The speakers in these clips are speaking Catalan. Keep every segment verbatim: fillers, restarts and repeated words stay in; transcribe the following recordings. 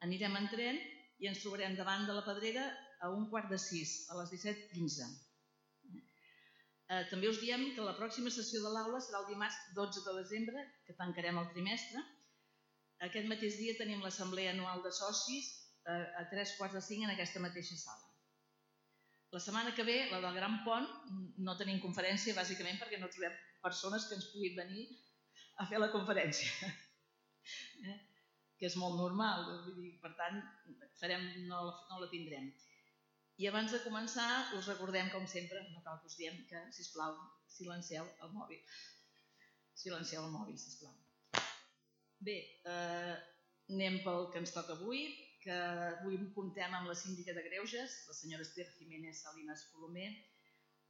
Anirem en tren i ens trobarem davant de la Pedrera a un quart de sis, a les disset quinze. També us diem que la pròxima sessió de l'aula serà el dimarts dotze de desembre, que tancarem el trimestre. Aquest mateix dia tenim l'assemblea anual de socis a tres quarts de cinc en aquesta mateixa sala. La setmana que ve, la del Gran Pont, no tenim conferència bàsicament perquè no trobem persones que ens puguin venir a fer la conferència, que és molt normal, per tant no la tindrem. I abans de començar us recordem, com sempre, no cal que us diem que, sisplau, silencieu el mòbil. Silencieu el mòbil, sisplau. Bé, anem pel que ens toca avui, que avui comptem amb la síndica de Greuges, la senyora Esther Jiménez Salinas Colomer,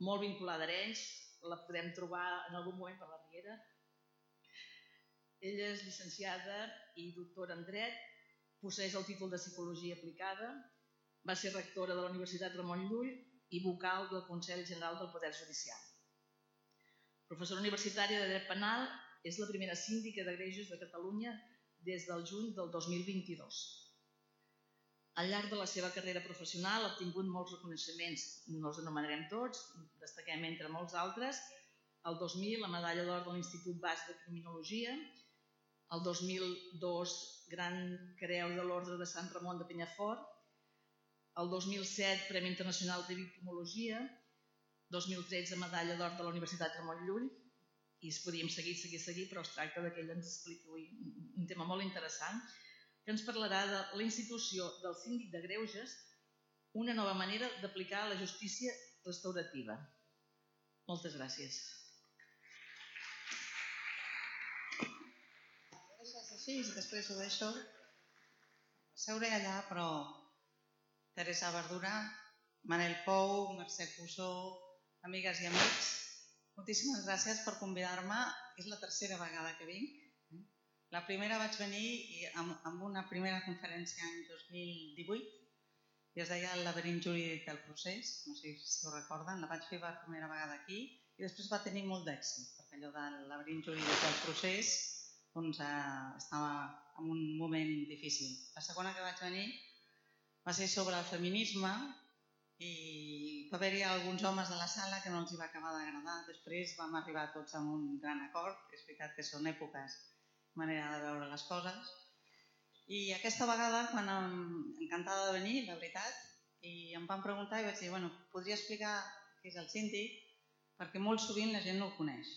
molt vinculada a Arenys, la podem trobar en algun moment per la Riera. Ella és llicenciada i doctora en Dret, posseeix el títol de Psicologia Aplicada, va ser rectora de la Universitat Ramon Llull i vocal del Consell General del Poder Judicial. Professora universitària de Dret Penal, és la primera síndica de Greuges de Catalunya des del juny del dos mil vint-i-dos. Al llarg de la seva carrera professional ha obtingut molts reconeixements, no els anomenarem tots, destaquem entre molts altres, el dos mil la medalla d'or de l'Institut Basc de Criminologia, el dos mil dos Gran Creu de l'Ordre de Sant Ramon de Penyafort, el dos mil set Premi Internacional de Victimologia, dos mil tretze medalla d'or de la Universitat Ramon Llull, i es podríem seguir, seguir, seguir, però es tracta que ella ens expliqui avui un tema molt interessant, que ens parlarà de la institució del síndic de Greuges, una nova manera d'aplicar la justícia restaurativa. Moltes gràcies. Deixes així i després ho deixo. Seuré allà, però Teresa Verdura, Manel Pou, Mercè Cusó, amigues i amics, moltíssimes gràcies per convidar-me. És la tercera vegada que vinc. La primera vaig venir amb una primera conferència l'any dos mil divuit i es deia El laberint jurídic del procés, no sé si ho recorden, la vaig fer per primera vegada aquí i després va tenir molt d'èxit, perquè allò del laberint jurídic del procés estava en un moment difícil. La segona que vaig venir va ser sobre el feminisme i va haver-hi alguns homes de la sala que no els hi va acabar d'agradar. Després vam arribar tots a un gran acord, és veritat que són èpoques, manera de veure les coses. I aquesta vegada, quan encantada de venir, la veritat, i em van preguntar i vaig dir, bueno, podria explicar què és el síndic, perquè molt sovint la gent no el coneix.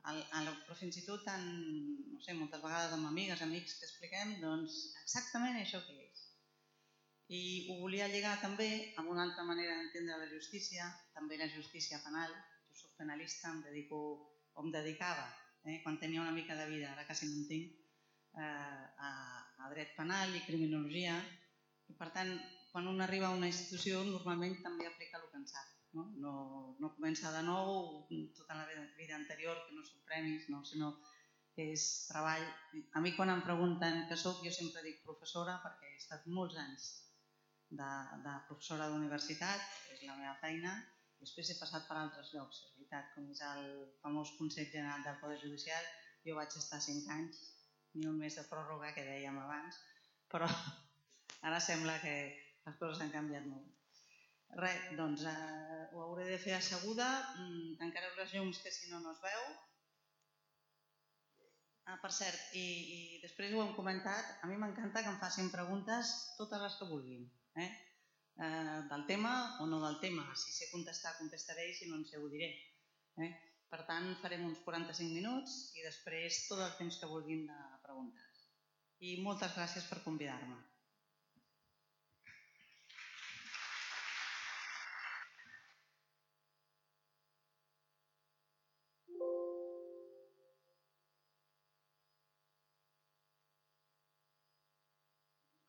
Però fins i tot, no sé, moltes vegades amb amigues, amics que expliquem, doncs exactament això que és. I ho volia lligar també amb una altra manera d'entendre la justícia, també la justícia penal. Jo soc penalista, em dedico, o em dedicava, quan tenia una mica de vida, ara quasi no en tinc, a dret penal i criminologia. I per tant, quan un arriba a una institució, normalment també aplica el que en sap. No comença de nou tota la vida anterior, que no són premis, sinó que és treball. A mi quan em pregunten què soc, jo sempre dic professora, perquè he estat molts anys de professora d'universitat, és la meva feina. Després he passat per altres llocs, és veritat, com és el famós Consell General del Poder Judicial. Jo vaig estar cinc anys, ni un mes de pròrroga, que dèiem abans, però ara sembla que les coses han canviat molt. Res, doncs ho hauré de fer asseguda, tancareu les llums que si no no es veu. Ah, per cert, i després ho hem comentat, a mi m'encanta que em facin preguntes totes les que vulguin. Del tema o no del tema. Si sé contestar, contestaré, i si no en sé, ho diré. Per tant, farem uns quaranta-cinc minuts i després tot el temps que vulguin de preguntes. I moltes gràcies per convidar-me.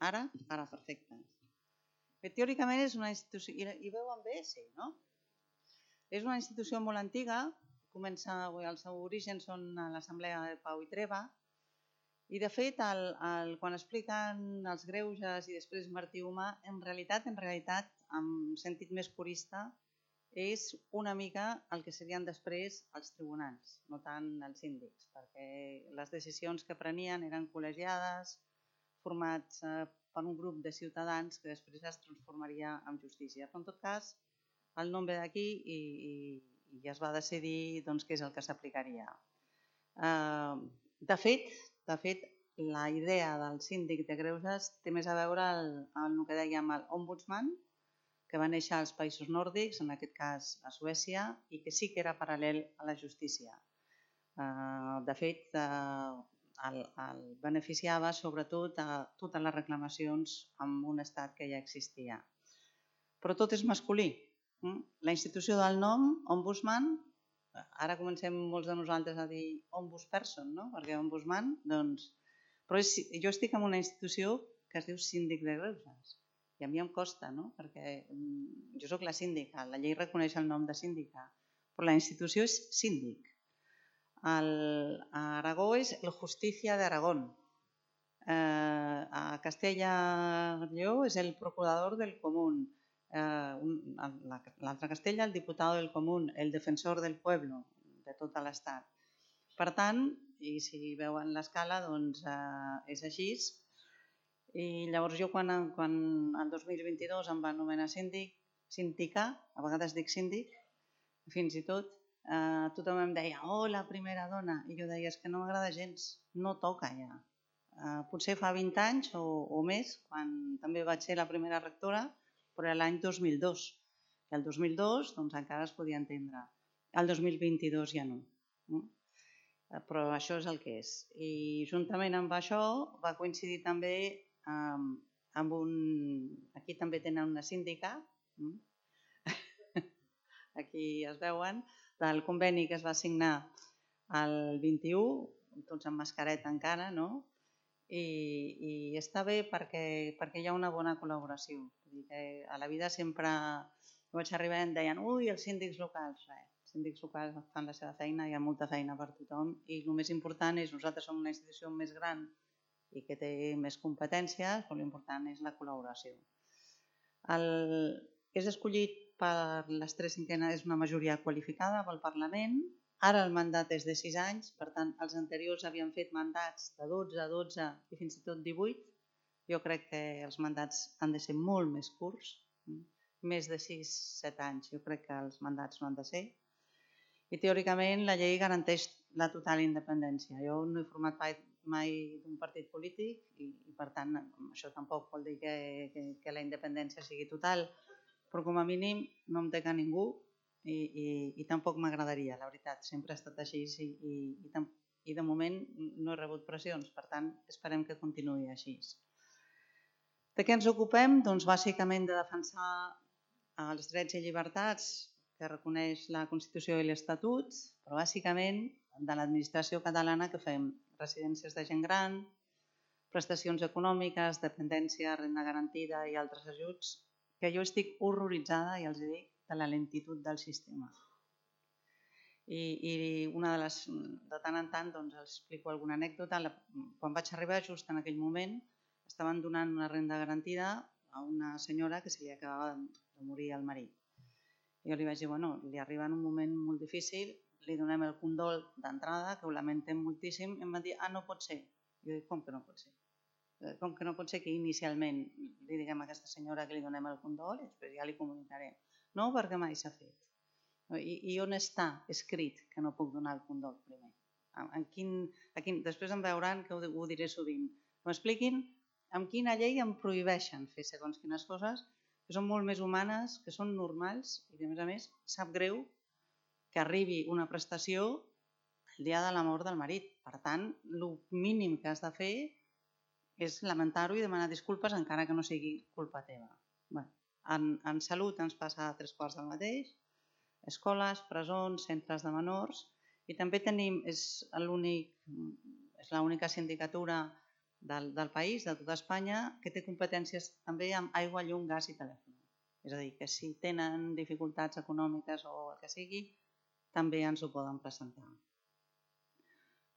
Ara? Ara, perfecte. Teòricament és una institució... I veuen bé? Sí, no? És una institució molt antiga, comença, el seu origen són a l'Assemblea de Pau i Treva, i de fet, quan expliquen els greuges i després Martí Humà, en realitat, en realitat, en sentit més purista, és una mica el que serien després els tribunals, no tant els síndics, perquè les decisions que prenien eren col·legiades, formats per un grup de ciutadans que després es transformaria en justícia. Però en tot cas, el nom ve d'aquí i, i, i es va decidir doncs, què és el que s'aplicaria. Eh, de fet, de fet, la idea del síndic de greuges té més a veure amb el que dèiem el ombudsman, que va néixer als països nòrdics, en aquest cas a Suècia, i que sí que era paral·lel a la justícia. De fet, el, el beneficiava sobretot a totes les reclamacions en un estat que ja existia. Però tot és masculí. La institució del nom, ombudsman, ara comencem molts de nosaltres a dir ombudsperson, no? Perquè ombudsman, doncs... Però és, jo estic en una institució que es diu síndic de greuges. I a mi em costa, no? Perquè jo soc la síndica, la llei reconeix el nom de síndica, però la institució és síndic. El, a Aragó és el Justícia d'Aragón. Eh, a Castella-Lleó és el procurador del común. Eh, L'altre Castella, el diputado del común, el defensor del pueblo, de tot l'estat. Per tant, i si veuen l'escala, doncs eh, és així. I llavors jo quan, quan el dos mil vint-i-dos em va anomenar síndic, síndica, a vegades dic síndic, fins i tot, eh, tothom em deia, oh, la primera dona, i jo deia, és que no m'agrada gens, no toca ja. Eh, potser fa vint anys o, o més, quan també vaig ser la primera rectora, però era l'any dos mil dos. I el dos mil dos doncs, encara es podia entendre. El dos mil vint-i-dos ja no. no? Però això és el que és. I juntament amb això va coincidir també Um, amb un... Aquí també tenen una síndica, aquí es veuen, del conveni que es va signar el vint-i-u, tots amb mascareta encara, no? I, i està bé perquè, perquè hi ha una bona col·laboració. Vull dir que a la vida sempre vaig arribar i em deien, ui, els síndics locals. Res, els síndics locals fan la seva feina, hi ha molta feina per tothom i el més important és, nosaltres som una institució més gran i que té més competències, però l'important és la col·laboració. El, és escollit per les tres cinquenes, és una majoria qualificada pel Parlament, ara el mandat és de sis anys, per tant, els anteriors havien fet mandats de dotze, dotze i fins i tot divuit. Jo crec que els mandats han de ser molt més curts, més de sis, set anys, jo crec que els mandats no han de ser. I teòricament la llei garanteix la total independència. Jo no he format mai d'un partit polític i, i per tant això tampoc vol dir que, que, que la independència sigui total, però com a mínim no em té que ningú i, i, i tampoc m'agradaria, la veritat, sempre ha estat així i, i, i, i de moment no he rebut pressions, per tant esperem que continuï així. De què ens ocupem? Doncs bàsicament de defensar els drets i llibertats que reconeix la Constitució i l'Estatut, però bàsicament de l'administració catalana que fem residències de gent gran, prestacions econòmiques, dependència, renda garantida i altres ajuts, que jo estic horroritzada, ja els dic, de la lentitud del sistema. I, i una de les, de tant en tant, doncs, els explico alguna anècdota. Quan vaig arribar, just en aquell moment, estaven donant una renda garantida a una senyora que se li acabava de morir el marit. Jo li vaig dir, bueno, li arriba en un moment molt difícil, li donem el condol d'entrada, que ho lamentem moltíssim, i em van dir, ah, no pot ser. Jo dic, com que no pot ser? Com que no pot ser que inicialment li diguem a aquesta senyora que li donem el condol i després ja li comunicarem. No, perquè mai s'ha fet. I, I on està escrit que no puc donar el condol primer? En quin, a quin, després em veuran que ho, ho diré sovint. M'expliquin amb quina llei em prohibeixen fer segons quines coses que són molt més humanes, que són normals i que a més a més sap greu que arribi una prestació el dia de la mort del marit. Per tant, el mínim que has de fer és lamentar-ho i demanar disculpes encara que no sigui culpa teva. Bé, en, en salut ens passa a tres quarts del mateix, escoles, presons, centres de menors i també tenim, és l'única sindicatura del, del país, de tota Espanya, que té competències també amb aigua, llum, gas i telèfon. És a dir, que si tenen dificultats econòmiques o el que sigui, també ens ho poden presentar.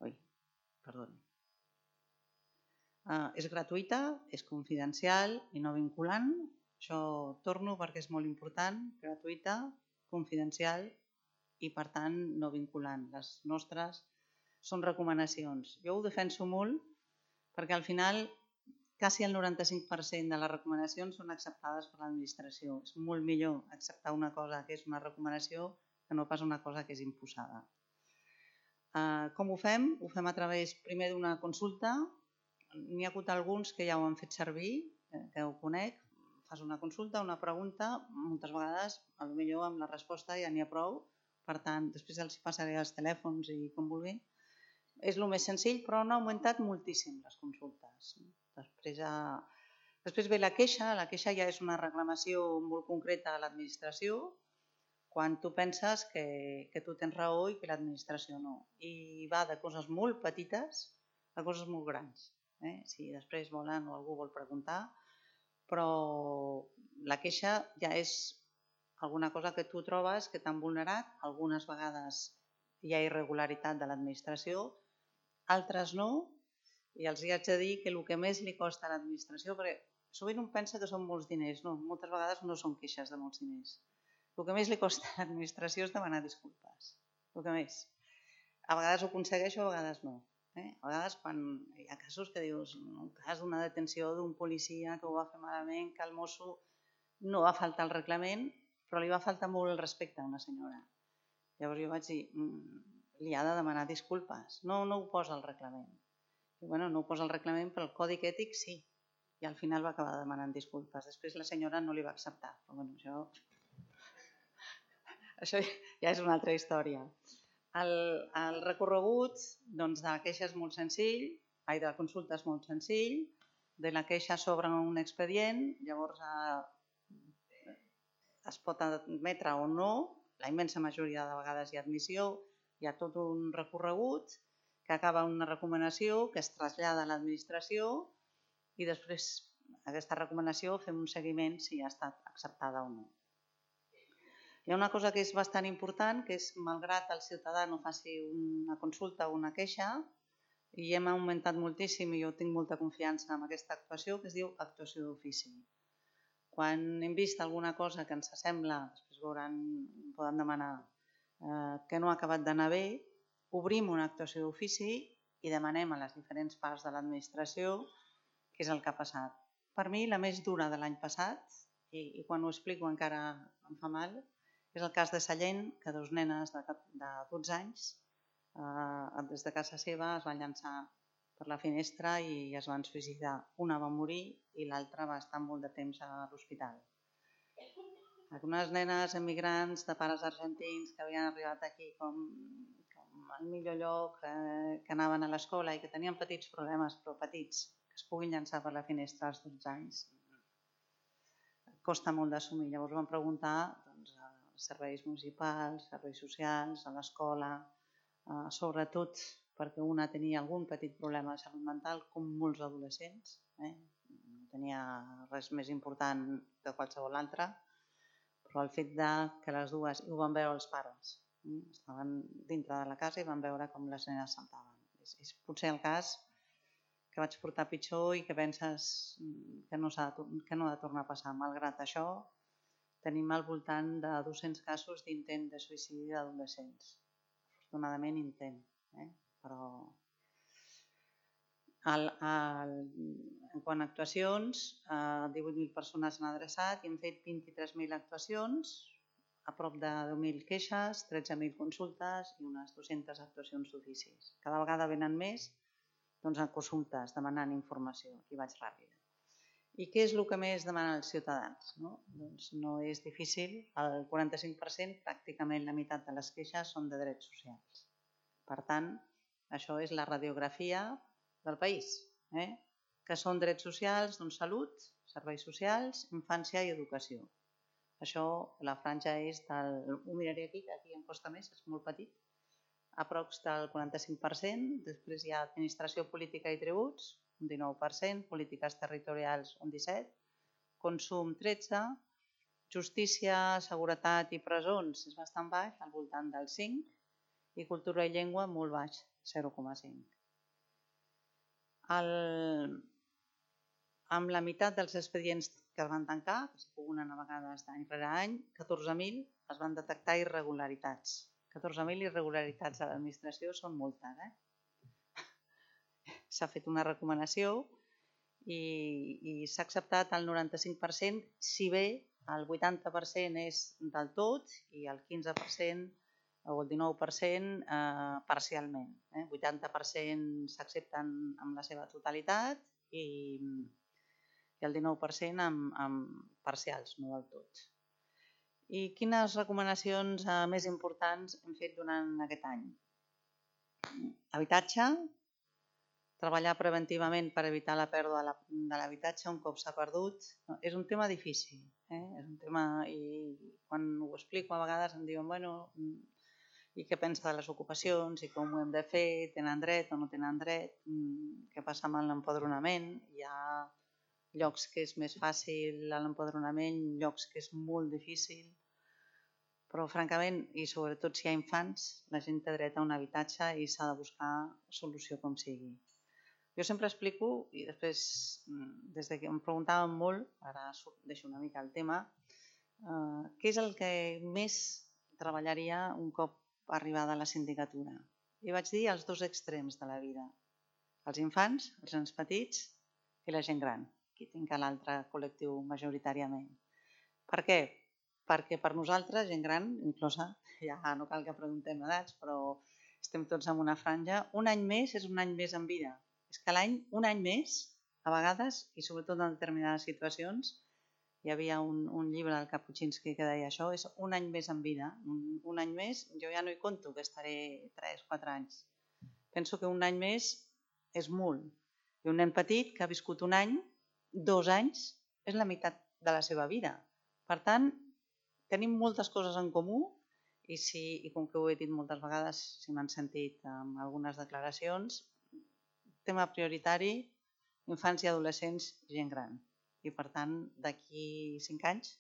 Ui, perdoni. Uh, és gratuïta, és confidencial i no vinculant. Això torno perquè és molt important. Gratuïta, confidencial i per tant no vinculant. Les nostres són recomanacions. Jo ho defenso molt perquè al final quasi el noranta-cinc per cent de les recomanacions són acceptades per l'administració. És molt millor acceptar una cosa que és una recomanació que no pas una cosa que és imposada. Com ho fem? Ho fem a través primer d'una consulta. N'hi ha hagut alguns que ja ho han fet servir, que ho conec. Fas una consulta, una pregunta, moltes vegades, potser amb la resposta ja n'hi ha prou. Per tant, després els passaré els telèfons i com vulguin. És el més senzill, però han augmentat moltíssim les consultes. Després, després ve la queixa. La queixa ja és una reclamació molt concreta a l'administració, quan tu penses que, que tu tens raó i que l'administració no. I va de coses molt petites a coses molt grans. Eh? Si després volen o algú vol preguntar, però la queixa ja és alguna cosa que tu trobes que t'han vulnerat. Algunes vegades hi ha irregularitat de l'administració, altres no, i els haig de dir que el que més li costa a l'administració, perquè sovint un pensa que són molts diners, no, moltes vegades no són queixes de molts diners. El que més li costa a l'administració és demanar disculpes, el que més. A vegades ho aconsegueixo, a vegades no. Eh? A vegades quan hi ha casos que dius, en un cas d'una detenció d'un policia que ho va fer malament, que el mosso no va faltar al reglament, però li va faltar molt el respecte a una senyora. Llavors jo vaig dir, li ha de demanar disculpes. No, no ho posa al reglament. I, bueno, no ho posa al reglament, però el còdic ètic sí. I al final va acabar demanant disculpes. Després la senyora no li va acceptar. Però bueno, això... Això ja és una altra història. El, el recorregut doncs, de la queixa és molt senzill, ai, de la consulta és molt senzill, de la queixa s'obre un expedient, llavors eh, es pot admetre o no, la immensa majoria de vegades hi ha admissió, hi ha tot un recorregut que acaba una recomanació que es trasllada a l'administració i després aquesta recomanació fem un seguiment si ha estat acceptada o no. Hi ha una cosa que és bastant important, que és, malgrat el ciutadà no faci una consulta o una queixa, i hem augmentat moltíssim i jo tinc molta confiança en aquesta actuació, que es diu actuació d'ofici. Quan hem vist alguna cosa que ens sembla, després veuran, poden demanar eh, que no ha acabat d'anar bé, obrim una actuació d'ofici i demanem a les diferents parts de l'administració què és el que ha passat. Per mi, la més dura de l'any passat, i, i quan ho explico encara em fa mal, és el cas de Sallent, que dos nenes de dotze anys, eh, des de casa seva, es van llançar per la finestra i es van suïcidar. Una va morir i l'altra va estar molt de temps a l'hospital. Unes nenes emigrants de pares argentins que havien arribat aquí com, com el millor lloc, eh, que anaven a l'escola i que tenien petits problemes, però petits, que es puguin llançar per la finestra als dotze anys. Costa molt d'assumir. Llavors vam preguntar doncs, als serveis municipals, serveis socials, a l'escola, eh, sobretot perquè una tenia algun petit problema de salut mental, com molts adolescents. Eh? No tenia res més important que qualsevol altre, però el fet de que les dues, i ho van veure els pares, eh? Estaven dintre de la casa i van veure com les nenes saltaven. És, és potser el cas que vaig portar pitjor i que penses que no, que no ha de tornar a passar. Malgrat això, tenim al voltant de dos-cents casos d'intent de suïcidi d'adolescents. Afortunadament intent, eh? Però el, el, en quant a actuacions, eh, divuit mil persones han adreçat i hem fet vint-i-tres mil actuacions, a prop de deu mil queixes, tretze mil consultes i unes dues-centes actuacions d'oficis. Cada vegada venen més doncs, en consultes, demanant informació. Aquí vaig ràpida. I què és el que més demanen els ciutadans? No? Doncs no és difícil. El quaranta-cinc per cent, pràcticament la meitat de les queixes, són de drets socials. Per tant, això és la radiografia del país, eh? Que són drets socials, doncs salut, serveis socials, infància i educació. Això, la franja és del... Ho miraré aquí, que aquí em costa més, és molt petit. Aprox del quaranta-cinc per cent. Després hi ha administració política i tributs, un dinou per cent, polítiques territorials un disset per cent, consum tretze per cent, justícia, seguretat i presons és bastant baix, al voltant del cinc per cent, i cultura i llengua molt baix, zero coma cinc per cent. El... Amb la meitat dels expedients que es van tancar, que es puguen a vegades d'any rere any, catorze mil es van detectar irregularitats. catorze mil irregularitats a l'administració són moltes, eh? S'ha fet una recomanació i, i s'ha acceptat el noranta-cinc per cent, si bé el vuitanta per cent és del tot i el quinze per cent o el dinou per cent eh, parcialment. Eh? vuitanta per cent s'accepten amb la seva totalitat i, i el dinou per cent amb, amb parcials, no del tot. I quines recomanacions eh, més importants hem fet durant aquest any? Habitatge, treballar preventivament per evitar la pèrdua de l'habitatge un cop s'ha perdut. És un tema difícil, eh? És un tema, i quan ho explico a vegades em diuen, bueno, i què pensa de les ocupacions i com ho hem de fer, tenen dret o no tenen dret, què passa amb l'empadronament. Hi ha llocs que és més fàcil l'empadronament, llocs que és molt difícil, però francament, i sobretot si hi ha infants, la gent té dret a un habitatge i s'ha de buscar solució com sigui. Jo sempre explico, i després, des que em preguntàvem molt, ara deixo una mica el tema, eh, què és el que més treballaria un cop arribada a la sindicatura. I vaig dir els dos extrems de la vida, els infants, els nens petits i la gent gran, qui tinc a l'altre col·lectiu majoritàriament. Per què? Perquè per nosaltres, gent gran, inclosa, ja no cal que preguntem edats, però estem tots en una franja, un any més és un any més en vida. És que l'any, un any més, a vegades, i sobretot en determinades situacions, hi havia un, un llibre del Kapuscinski que deia això, és un any més en vida. Un, un any més, jo ja no hi conto que estaré tres o quatre anys. Penso que un any més és molt. I un nen petit que ha viscut un any, dos anys, és la meitat de la seva vida. Per tant, tenim moltes coses en comú i, si, i com que ho he dit moltes vegades, si m'han sentit en algunes declaracions, tema prioritari, infants i adolescents i gent gran. I per tant, d'aquí cinc anys,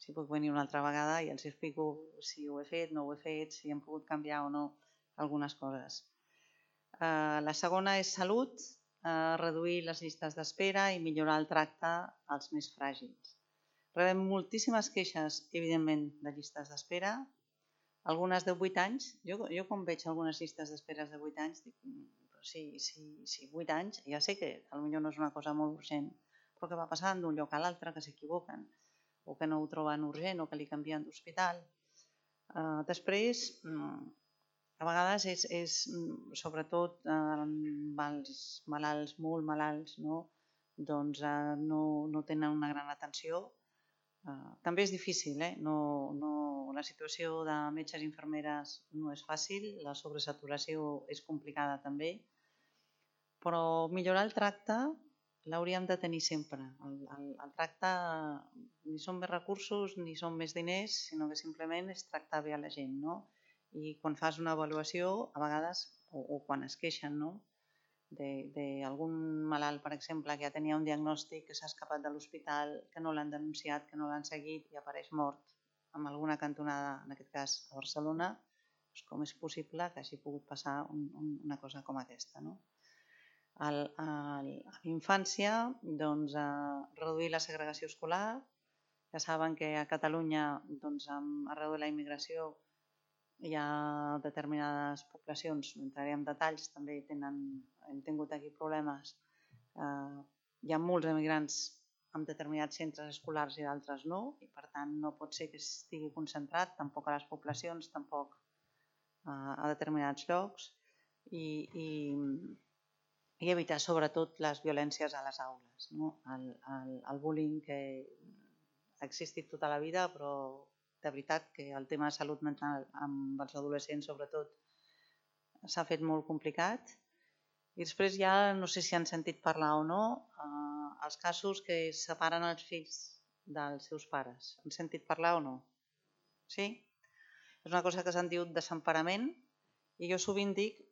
si puc venir una altra vegada i els explico si ho he fet, no ho he fet, si hem pogut canviar o no algunes coses. Uh, la segona és salut, uh, reduir les llistes d'espera i millorar el tracte als més fràgils. Rebem moltíssimes queixes, evidentment, de llistes d'espera, algunes de vuit anys. Jo, jo quan veig algunes llistes d'espera de vuit anys, dic, però sí, sí, sí, vuit anys, ja sé que potser no és una cosa molt urgent, però que va passant d'un lloc a l'altre, que s'equivoquen, o que no ho troben urgent, o que li canvien d'hospital. Uh, després, a vegades és, és sobretot uh, els malalts, molt malalts, no? Doncs uh, no, no tenen una gran atenció. Uh, també és difícil, eh? no, no, la situació de metges i infermeres no és fàcil, la sobresaturació és complicada també, però millorar el tracte l'hauríem de tenir sempre. El, el, el tracte ni són més recursos ni són més diners, sinó que simplement és tractar bé a la gent, no? I quan fas una avaluació, a vegades, o, o quan es queixen, no? D'algun malalt, per exemple, que ja tenia un diagnòstic, que s'ha escapat de l'hospital, que no l'han denunciat, que no l'han seguit i apareix mort en alguna cantonada, en aquest cas a Barcelona, doncs com és possible que hagi pogut passar un, un, una cosa com aquesta, no? A l'infància, doncs, reduir la segregació escolar. Ja saben que a Catalunya, doncs, arreu de la immigració, hi ha determinades poblacions, no entraré en detalls, també tenen, hem tingut aquí problemes. Eh, hi ha molts emigrants en determinats centres escolars i d'altres no, i per tant no pot ser que estigui concentrat tampoc a les poblacions, tampoc eh, a determinats llocs, i, i i evitar sobretot les violències a les aules, no? el, el, el bullying que ha existit tota la vida, però de veritat que el tema de salut mental amb els adolescents sobretot s'ha fet molt complicat. I després ja, no sé si han sentit parlar o no, eh, els casos que separen els fills dels seus pares. Han sentit parlar o no? Sí? És una cosa que se'n diu desemparament i jo sovint dic,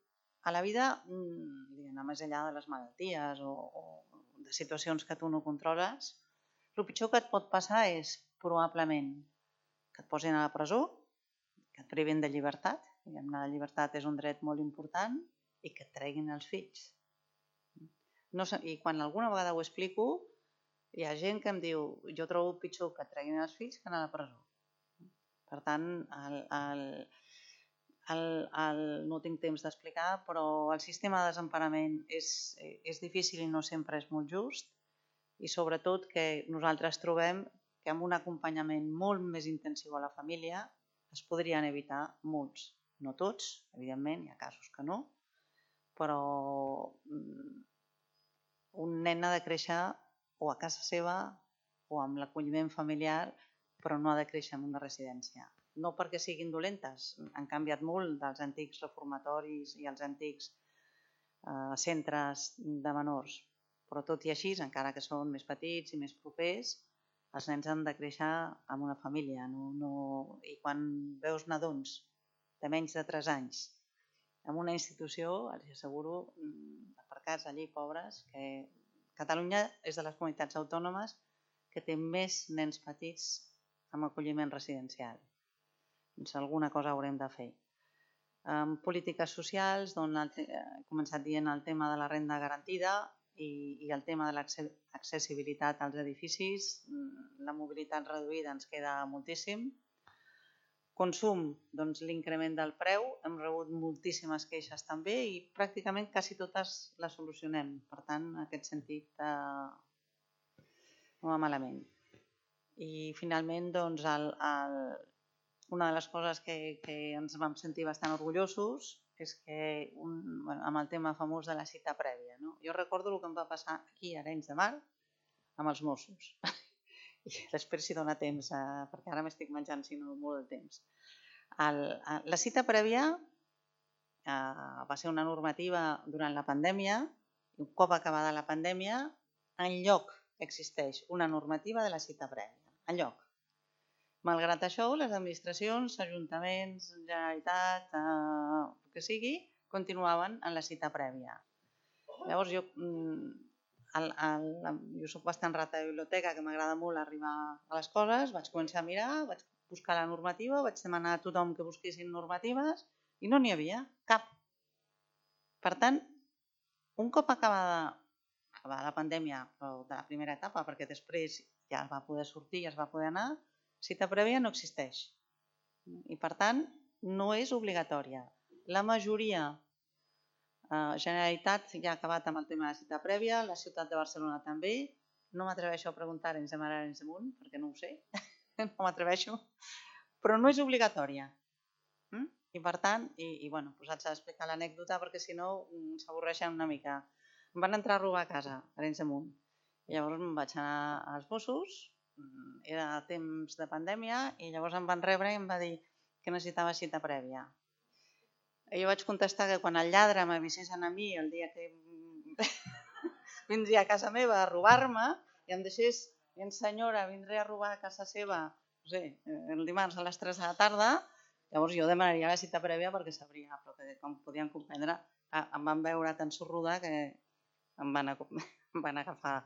a la vida, diguem, més enllà de les malalties o, o de situacions que tu no controles, el pitjor que et pot passar és, probablement, que et posin a la presó, que et privin de llibertat, diguem, la llibertat és un dret molt important, i que et treguin els fills. No sé, i quan alguna vegada ho explico, hi ha gent que em diu, jo trobo pitjor que et treguin els fills que anar a la presó. Per tant, el... el El, el, no tinc temps d'explicar, però el sistema de desemparament és, és difícil i no sempre és molt just. i sobretot que nosaltres trobem que amb un acompanyament molt més intensiu a la família es podrien evitar molts, no tots, evidentment, hi ha casos que no, però un nen ha de créixer o a casa seva o amb l'acolliment familiar, però no ha de créixer en una residència. No perquè siguin dolentes, han canviat molt dels antics reformatoris i els antics eh, centres de menors, però tot i així, encara que són més petits i més propers, els nens han de créixer en una família. No, no... I quan veus nadons de menys de tres anys en una institució, els asseguro, aparcats allí, pobres, que Catalunya és de les comunitats autònomes que té més nens petits amb acolliment residencial. Doncs alguna cosa haurem de fer. En polítiques socials, doncs, he començat dient el tema de la renda garantida i, i el tema de l'accessibilitat als edificis. La mobilitat reduïda ens queda moltíssim. Consum, doncs l'increment del preu. Hem rebut moltíssimes queixes també i pràcticament quasi totes les solucionem. Per tant, en aquest sentit, eh, no va malament. I finalment, doncs, el, el, una de les coses que, que ens vam sentir bastant orgullosos és que un, bueno, amb el tema famós de la cita prèvia. No? Jo recordo el que em va passar aquí a Arenys de Mar amb els Mossos. I després si dona temps, eh, perquè ara m'estic menjant si no molt de temps. El, la cita prèvia eh, va ser una normativa durant la pandèmia i un cop acabada la pandèmia, enlloc existeix una normativa de la cita prèvia. Enlloc. Malgrat això, les administracions, ajuntaments, Generalitat, eh, el que sigui, continuaven en la cita prèvia. Llavors, jo, el, el, jo soc bastant rata de biblioteca, que m'agrada molt arribar a les coses, vaig començar a mirar, vaig buscar la normativa, vaig demanar a tothom que busquessin normatives i no n'hi havia cap. Per tant, un cop acabada, acabada la pandèmia, però de la primera etapa, perquè després ja es va poder sortir, ja es va poder anar, cita prèvia no existeix i per tant no és obligatòria. La majoria, eh, Generalitat ja ha acabat amb el tema de la cita prèvia, la ciutat de Barcelona també, no m'atreveixo a preguntar a Arenys de Mar, Arenys de Munt, perquè no ho sé, no m'atreveixo, però no és obligatòria. Mm? I per tant, i, i bueno, posats a explicar l'anècdota perquè si no s'avorreixen una mica. Em van entrar a robar a casa, a Arenys de Munt, i llavors em vaig anar als Mossos. Era temps de pandèmia i llavors em van rebre i em va dir que necessitava cita prèvia. I jo vaig contestar que quan el lladre m'avisessin a mi el dia que vindria a casa meva a robar-me i em deixés, en senyora, vindré a robar a casa seva, no sé, el dimarts a les tres de la tarda, llavors jo demanaria la cita prèvia perquè sabria, però que com podien comprendre, em van veure tan sorruda que em van, em van agafar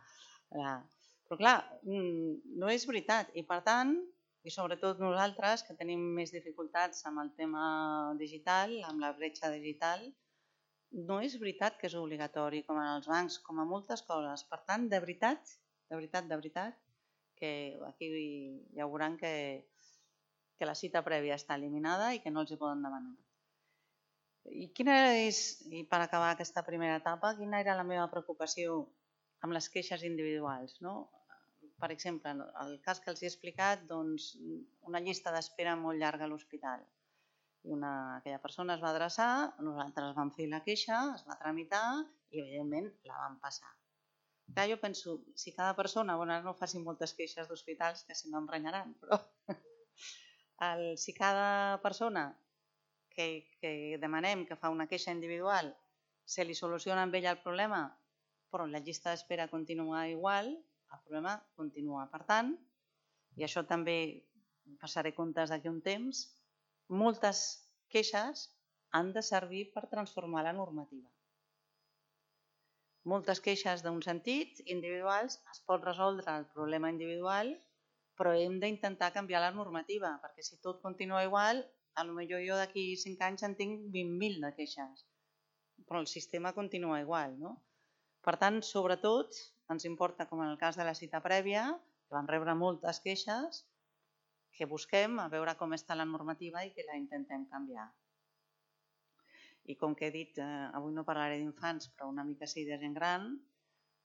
la... Però clar, no és veritat i per tant, i sobretot nosaltres que tenim més dificultats amb el tema digital, amb la bretxa digital, no és veritat que és obligatori com en els bancs, com a moltes coses. Per tant, de veritat, de veritat, de veritat, que aquí ja veuran que, que la cita prèvia està eliminada i que no els hi poden demanar. I quina és, i per acabar aquesta primera etapa, quina era la meva preocupació amb les queixes individuals, no? Per exemple, el cas que els he explicat, doncs, una llista d'espera molt llarga a l'hospital. Una, aquella persona es va adreçar, nosaltres vam fer la queixa, es va tramitar i, evidentment, la vam passar. Clar, jo penso, si cada persona, bueno, ara no facin moltes queixes d'hospitals, que si no em renyaran, però el, si cada persona que, que demanem que fa una queixa individual se li soluciona amb ella el problema, però la llista d'espera continua igual, el problema continua. Per tant, i això també passaré comptes d'aquí un temps, moltes queixes han de servir per transformar la normativa. Moltes queixes d'un sentit, individuals, es pot resoldre el problema individual, però hem d'intentar canviar la normativa, perquè si tot continua igual, potser jo d'aquí cinc anys en tinc vint mil de queixes, però el sistema continua igual, no? Per tant, sobretot, ens importa, com en el cas de la cita prèvia, que vam rebre moltes queixes, que busquem a veure com està la normativa i que la intentem canviar. I com que he dit, avui no parlaré d'infants, però una mica sí de gent gran,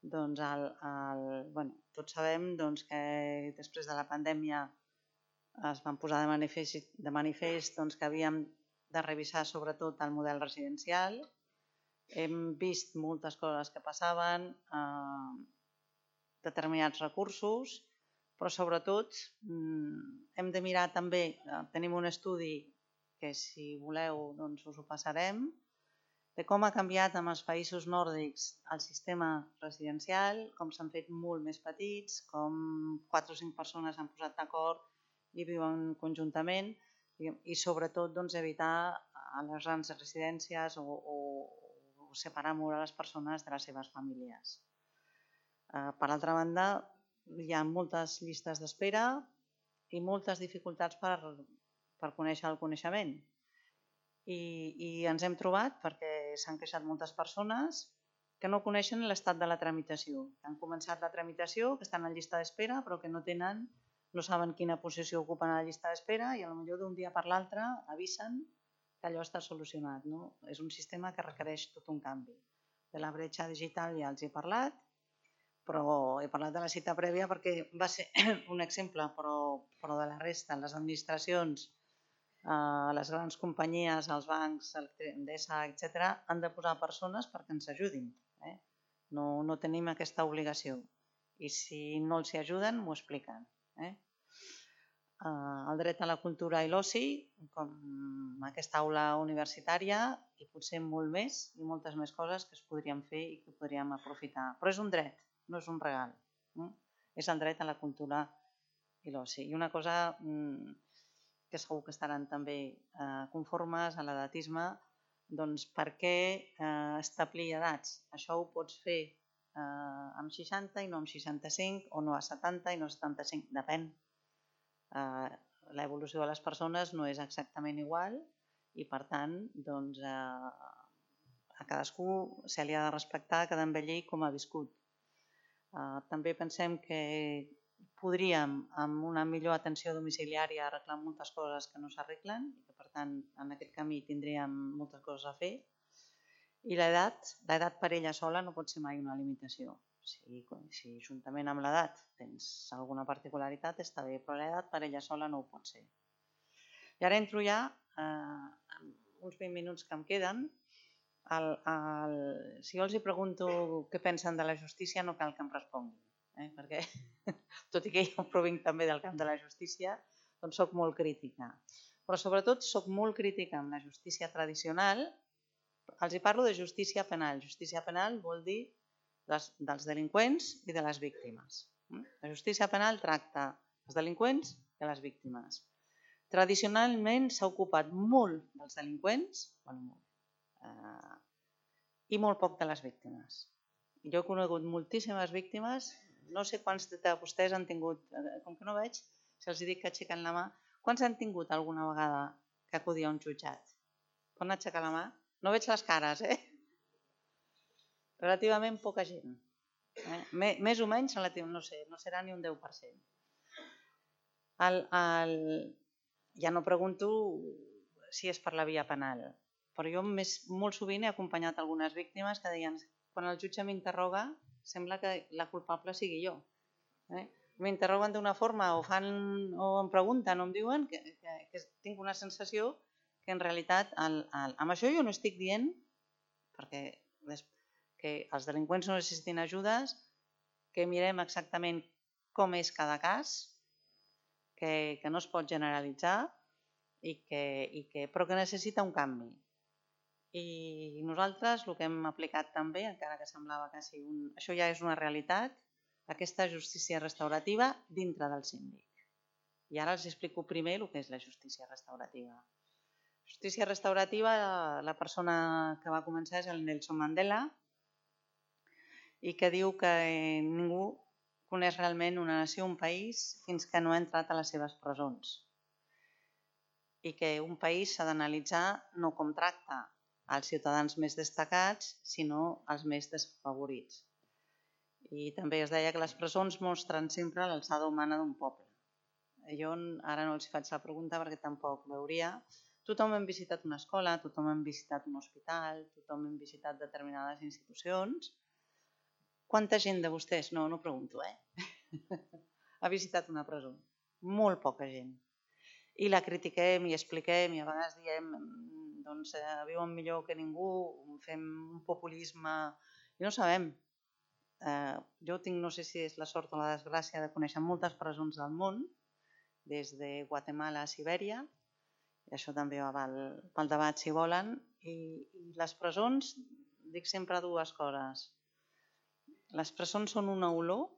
Doncs el, el, bueno, tots sabem doncs, que després de la pandèmia es van posar de manifest, de manifest doncs, que havíem de revisar sobretot el model residencial. Hem vist moltes coses que passaven, eh, determinats recursos, però sobretot hem de mirar també, tenim un estudi que si voleu doncs us ho passarem, de com ha canviat en els països nòrdics el sistema residencial, com s'han fet molt més petits, com quatre o cinc persones s'han posat d'acord i viuen conjuntament i sobretot doncs, evitar a les grans residències o, o, o separar molt a les persones de les seves famílies. Per altra banda, hi ha moltes llistes d'espera i moltes dificultats per, per conèixer el coneixement. I, i ens hem trobat, perquè s'han queixat moltes persones, que no coneixen l'estat de la tramitació. Han començat la tramitació, que estan en llista d'espera, però que no tenen, no saben quina posició ocupen a la llista d'espera i potser d'un dia per l'altre avisen que allò està solucionat. No? És un sistema que requereix tot un canvi. De la bretxa digital ja els he parlat, però he parlat de la cita prèvia perquè va ser un exemple, però, però de la resta, les administracions, eh, les grans companyies, els bancs, Endesa, etcètera, han de posar persones perquè ens ajudin. Eh? No, no tenim aquesta obligació i si no els hi ajuden, m'ho expliquen. Eh? Eh, el dret a la cultura i l'oci, com aquesta aula universitària i potser molt més i moltes més coses que es podrien fer i que podríem aprofitar. Però és un dret. No és un regal, eh? És el dret a la cultura i l'oci. I una cosa mmm, que segur que estaran també eh, conformes a l'edatisme, doncs per què eh, establir edats? Això ho pots fer eh, amb seixanta i no amb seixanta-cinc, o no a setanta i no a setanta-cinc, depèn. Eh, L'evolució de les persones no és exactament igual i per tant doncs, eh, a cadascú se li ha de respectar cada envellir com ha viscut. Uh, també pensem que podríem, amb una millor atenció domiciliària, arreglar moltes coses que no s'arreglen i que, per tant, en aquest camí tindríem moltes coses a fer. I l'edat, l'edat per ella sola no pot ser mai una limitació. Si, si juntament amb l'edat tens alguna particularitat, està bé, però l'edat per ella sola no ho pot ser. I ara entro ja, eh, uns vint minuts que em queden, El, el, si jo els hi pregunto què pensen de la justícia no cal que em responguin, eh? Perquè tot i que jo provinc també del camp de la justícia, doncs soc molt crítica. Però sobretot soc molt crítica amb la justícia tradicional. Els hi parlo de justícia penal. Justícia penal vol dir les, dels delinqüents i de les víctimes. La justícia penal tracta els delinqüents i les víctimes. Tradicionalment s'ha ocupat molt dels delinqüents, bueno, molt, Uh, i molt poc de les víctimes. Jo he conegut moltíssimes víctimes, no sé quants de vostès han tingut, com que no veig, si els dic que aixequen la mà, quants han tingut alguna vegada que acudir a un jutjat? Poden aixecar la mà? No veig les cares, eh? Relativament poca gent. Eh? Més o menys, no sé, no serà ni un deu per cent. El, el... Ja no pregunto si és per la via penal, però jo més, molt sovint he acompanyat algunes víctimes que deien quan el jutge m'interroga sembla que la culpable sigui jo. Eh? M'interroguen d'una forma o, fan, o em pregunten o em diuen que, que, que tinc una sensació que en realitat el, el, amb això jo no estic dient perquè que els delinqüents no necessitin ajudes, que mirem exactament com és cada cas, que, que no es pot generalitzar i que, i que, però que necessita un canvi. I nosaltres el que hem aplicat també, encara que semblava que sí, un... això ja és una realitat, aquesta justícia restaurativa dintre del síndic. I ara els explico primer el que és la justícia restaurativa. Justícia restaurativa, la persona que va començar és el Nelson Mandela i que diu que ningú coneix realment una nació, un país, fins que no ha entrat a les seves presons. I que un país s'ha d'analitzar no com tracta als ciutadans més destacats, sinó als més desfavorits. I també es deia que les presons mostren sempre l'alçada humana d'un poble. Jo ara no els faig la pregunta perquè tampoc veuria. Tothom hem visitat una escola, tothom hem visitat un hospital, tothom hem visitat determinades institucions Quanta gent de vostès, no, no pregunto, eh? ha visitat una presó? Molt poca gent. I la critiquem i expliquem i a vegades diem doncs eh, viuen millor que ningú, fem un populisme i no sabem. Eh, jo tinc, no sé si és la sort o la desgràcia, de conèixer moltes presons del món, des de Guatemala a Sibèria, i això també va pel, pel debat si volen, i, i les presons, dic sempre dues coses. Les presons són una olor,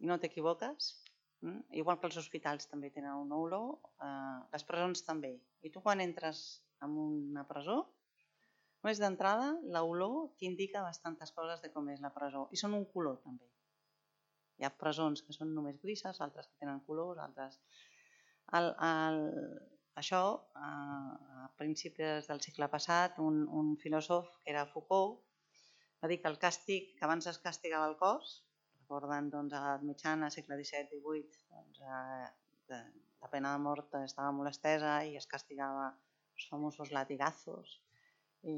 i no t'equivoques, mm? Igual que els hospitals també tenen una olor, eh, les presons també. I tu quan entres en una presó, només d'entrada, l'olor t'indica bastantes coses de com és la presó. I són un color també. Hi ha presons que són només grises, altres que tenen colors, altres... El, el, això, a principis del segle passat, un, un filòsof que era Foucault va dir que el càstig, que abans es castigava el cos, recorden doncs, a l'edat mitjana, segle disset divuit, doncs, eh, la pena de mort estava molt estesa i es castigava els famosos latigazos i,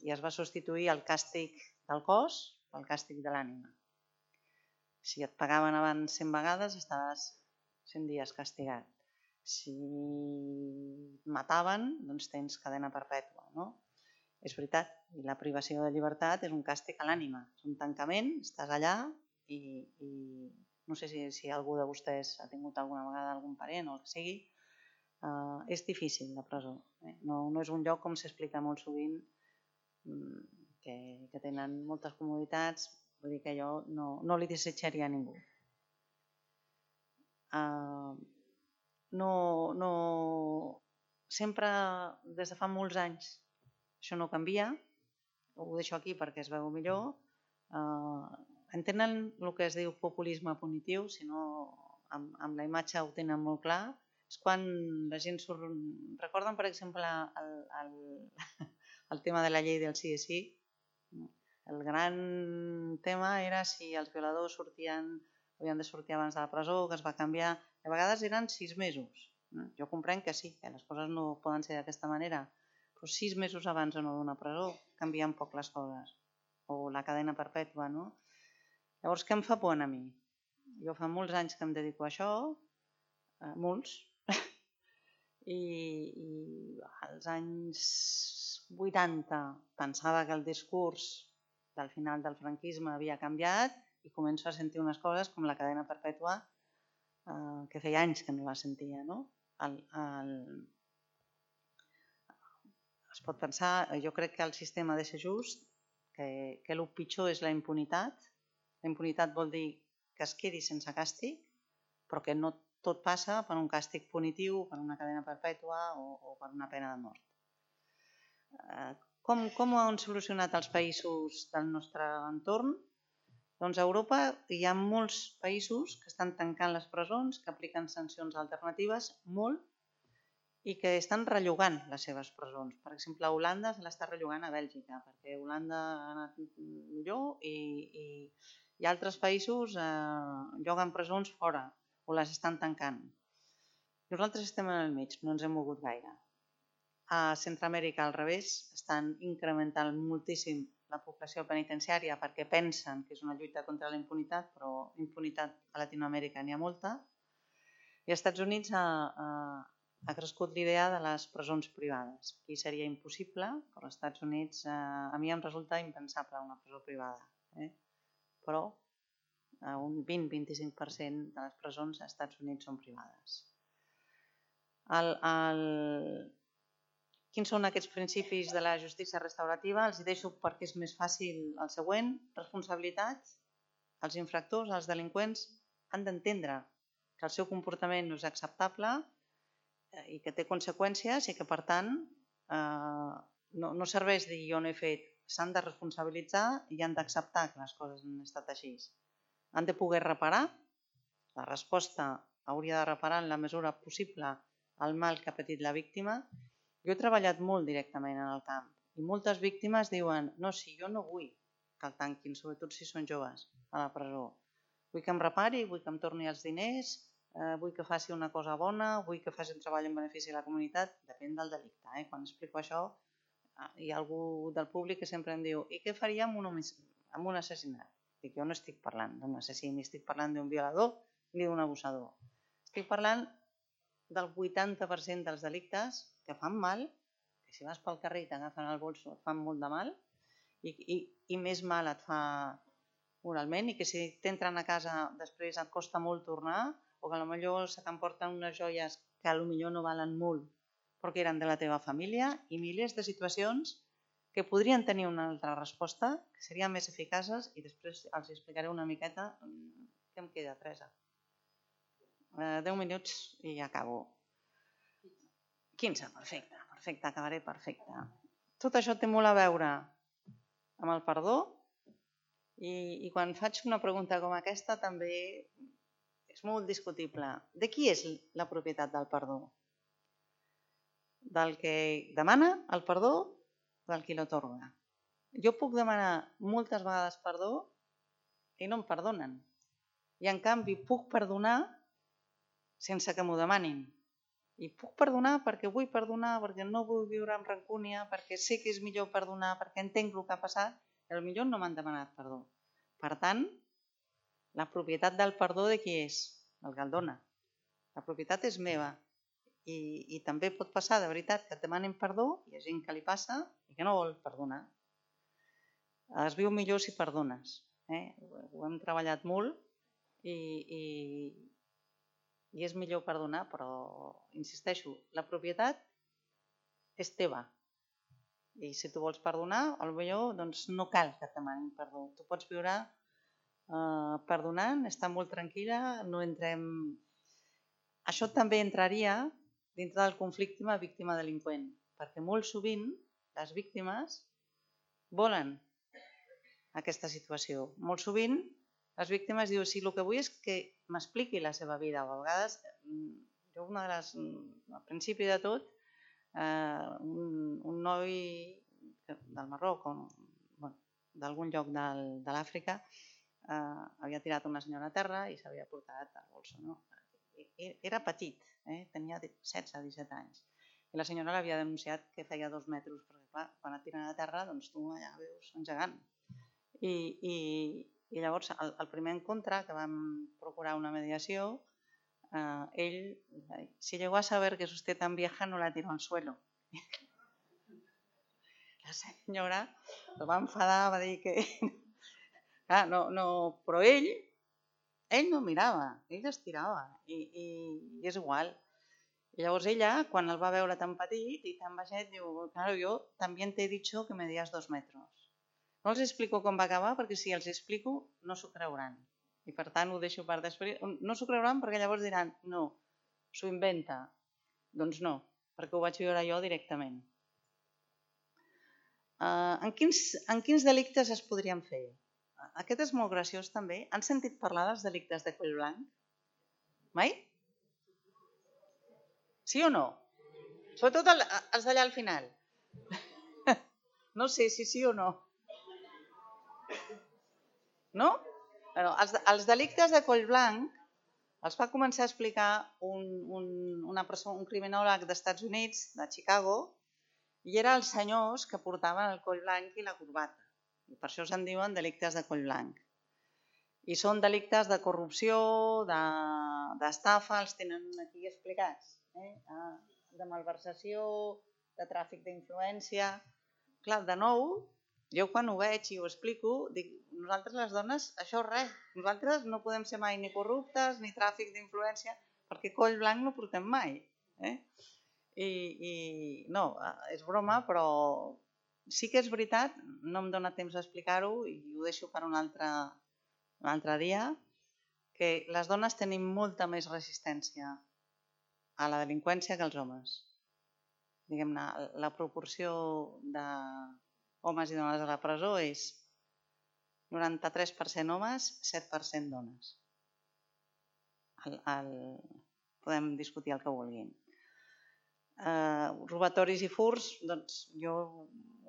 i es va substituir el càstig del cos pel càstig de l'ànima. Si et pagaven abans cent vegades, estaves cent dies castigat. Si et mataven, doncs tens cadena perpètua, no? És veritat, i la privació de llibertat és un càstig a l'ànima. És un tancament, estàs allà i, i no sé si, si algú de vostès ha tingut alguna vegada algun parent o el que sigui, uh, és difícil la presó. Eh? No, no és un lloc, com s'explica molt sovint, que, que tenen moltes comoditats, vull dir que jo no, no li desitjaria a ningú. Uh, no, no, sempre, des de fa molts anys, això no canvia, ho deixo aquí perquè es veu millor. Uh, entenen el que es diu populisme punitiu, si no amb, amb la imatge ho tenen molt clar. És quan la gent surt... Recorden, per exemple, el, el, el tema de la llei del sí és sí? El gran tema era si els violadors sortien, havien de sortir abans de la presó, que es va canviar. A vegades eren sis mesos. Jo comprenc que sí, que les coses no poden ser d'aquesta manera, però sis mesos abans o no d'una presó canvien poc les coses, o la cadena perpètua, no? Llavors, què em fa por a mi? Jo fa molts anys que em dedico a això, eh, molts, i, i als anys vuitanta pensava que el discurs del final del franquisme havia canviat i començo a sentir unes coses com la cadena perpètua, eh, que feia anys que no la sentia, no? El, el, Es pot pensar, jo crec que el sistema ha de ser just, que, que el pitjor és la impunitat. La impunitat vol dir que es quedi sense càstig, però que no tot passa per un càstig punitiu, per una cadena perpètua o, o per una pena de mort. Eh, com, com ho han solucionat els països del nostre entorn? Doncs a Europa hi ha molts països que estan tancant les presons, que apliquen sancions alternatives, molt, i que estan rellogant les seves presons. Per exemple, a Holanda se l'està rellogant a Bèlgica, perquè Holanda ha anat millor i, i, i altres països eh, lloguen presons fora o les estan tancant. Nosaltres estem en el mig, no ens hem mogut gaire. A Centroamèrica, al revés, estan incrementant moltíssim la població penitenciària perquè pensen que és una lluita contra la impunitat, però impunitat a Latinoamèrica n'hi ha molta. I als Estats Units a, a ha crescut l'idea de les presons privades. Aquí seria impossible, però als Estats Units eh, a mi em resulta impensable una presó privada. Eh? Però eh, un vint a vint-i-cinc per cent de les presons als Estats Units són privades. El, el... Quins són aquests principis de la justícia restaurativa? Els hi deixo perquè és més fàcil el següent. Responsabilitat. Els infractors, els delinqüents, han d'entendre que el seu comportament no és acceptable i que té conseqüències i que, per tant, eh, no, no serveix dir jo no he fet. S'han de responsabilitzar i han d'acceptar que les coses han estat així. Han de poder reparar. La resposta hauria de reparar en la mesura possible el mal que ha patit la víctima. Jo he treballat molt directament en el camp i moltes víctimes diuen no, si jo no vull que el tanquin, sobretot si són joves, a la presó. Vull que em repari, vull que em torni els diners, Eh, vull que faci una cosa bona, vull que faci un treball en benefici de la comunitat, depèn del delicte. Eh? Quan explico això, hi ha algú del públic que sempre em diu i què faria amb un, amb un assassinat? Dic, jo no estic parlant d'un assassí, ni estic parlant d'un violador ni d'un abusador. Estic parlant del vuitanta per cent dels delictes que fan mal, que si vas pel carrer i t'agafen el bolso et fan molt de mal, i, i, i més mal et fa moralment, i que si t'entren a casa després et costa molt tornar, o que potser se t'emporten unes joies que potser no valen molt, però que eren de la teva família, i milers de situacions que podrien tenir una altra resposta, que serien més eficaces, i després els explicaré una miqueta què em queda, Teresa. deu minuts i ja acabo. quinze, perfecte, perfecte, acabaré perfecte. Tot això té molt a veure amb el perdó, i, i quan faig una pregunta com aquesta també és molt discutible. De qui és la propietat del perdó? Del que demana el perdó o del qui l'atorga? Jo puc demanar moltes vegades perdó i no em perdonen. I en canvi puc perdonar sense que m'ho demanin. I puc perdonar perquè vull perdonar, perquè no vull viure amb rancúnia, perquè sé que és millor perdonar, perquè entenc el que ha passat, i potser no m'han demanat perdó. Per tant, la propietat del perdó de qui és? El que el dona. La propietat és meva. I, i també pot passar, de veritat, que et demanin perdó, hi ha gent que li passa i que no vol perdonar. Es viu millor si perdones. Eh? Ho hem treballat molt i, i, i és millor perdonar, però insisteixo, la propietat és teva. I si tu vols perdonar, potser doncs, no cal que et demanin perdó. Tu pots viure eh, perdonant, estar molt tranquil·la, no entrem... Això també entraria dintre del conflicte víctima-delinqüent, perquè molt sovint les víctimes volen aquesta situació. Molt sovint les víctimes diuen, sí, el que vull és que m'expliqui la seva vida. A vegades, jo una de les, al principi de tot, eh, un, un noi del Marroc, o, bueno, d'algun lloc del, de l'Àfrica, eh, havia tirat una senyora a terra i s'havia portat al bolso. No? Era petit, eh? Tenia setze disset anys. I la senyora l'havia denunciat que feia dos metres, perquè clar, quan et tiren a terra, doncs tu allà veus un gegant. I, i, i llavors, el, el primer encontre, que vam procurar una mediació, eh, ell, si llegó a saber que és usted tan vieja, no la tiró al suelo. La senyora el va enfadar, va dir que... Ah, no, no, però ell... Ell no mirava, ell es tirava i, i, i és igual. I llavors ella, quan el va veure tan petit i tan baixet, diu, claro, yo también te he dicho que medías dos metros. No els explico com va acabar perquè si els explico no s'ho creuran. I per tant ho deixo per després. No s'ho creuran perquè llavors diran, no, s'ho inventa. Doncs no, perquè ho vaig viure jo directament. Uh, en, quins, en quins delictes es podrien fer? Aquest és molt graciós també. Han sentit parlar dels delictes de coll blanc? Mai? Sí o no? Sobretot el, els d'allà al final. No sé si sí o no. No? Bueno, els, els delictes de coll blanc els va començar a explicar un, un, una persona, un criminòleg d'Estats Units, de Chicago, i eren els senyors que portaven el coll blanc i la corbata. I per això se'n diuen delictes de coll blanc. I són delictes de corrupció, d'estafa, de, els tenen aquí explicats, eh? De malversació, de tràfic d'influència. Clar, de nou, jo quan ho veig i ho explico, dic, nosaltres les dones, això res, nosaltres no podem ser mai ni corruptes ni tràfic d'influència, perquè coll blanc no portem mai. Eh? I, i no, és broma, però... Sí que és veritat, no em dóna temps d'explicar-ho i ho deixo per un altre, un altre dia, que les dones tenim molta més resistència a la delinqüència que els homes. Diguem-ne, la proporció d'homes i dones a la presó és noranta-tres per cent homes, set per cent dones. El, el, podem discutir el que vulguin. Uh, robatoris i furts, doncs jo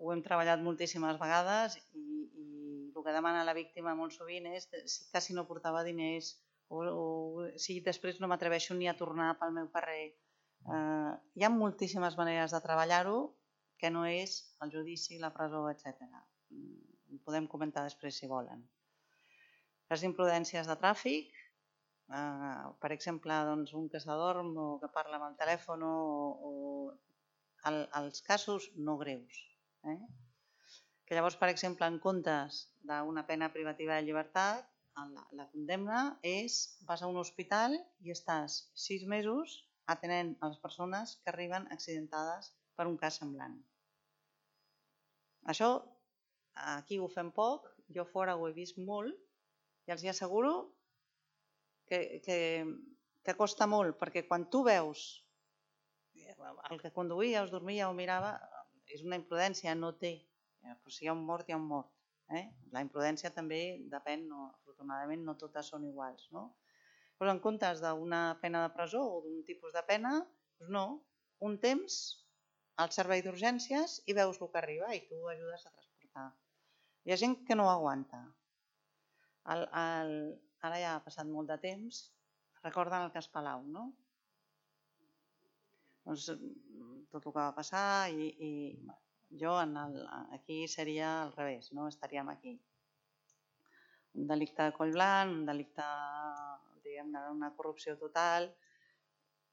ho hem treballat moltíssimes vegades i, i el que demana la víctima molt sovint és que si no portava diners o, o si després no m'atreveixo ni a tornar pel meu carrer. Uh, hi ha moltíssimes maneres de treballar-ho que no és el judici, la presó, etcètera. Ho podem comentar després si volen. les imprudències de tràfic, eh, per exemple, doncs, un que s'adorm o que parla amb el telèfon o, o el, els casos no greus. Eh? Que llavors, per exemple, en comptes d'una pena privativa de llibertat, la, la condemna és vas a un hospital i estàs sis mesos atenent a les persones que arriben accidentades per un cas semblant. Això aquí ho fem poc, jo fora ho he vist molt i els hi asseguro que, que, que costa molt, perquè quan tu veus el que conduïa, es dormia o mirava, és una imprudència, no té, però si hi ha un mort, hi ha un mort. Eh? La imprudència també depèn, no, afortunadament no totes són iguals. No? Però en comptes d'una pena de presó o d'un tipus de pena, doncs no, un temps al servei d'urgències i veus el que arriba i tu ajudes a transportar. Hi ha gent que no aguanta. El, el, ara ja ha passat molt de temps, recorden el cas Palau, no? Doncs tot el que va passar i, i jo en el, aquí seria al revés, no? Estaríem aquí. Un delicte de coll blanc, un delicte d'una corrupció total.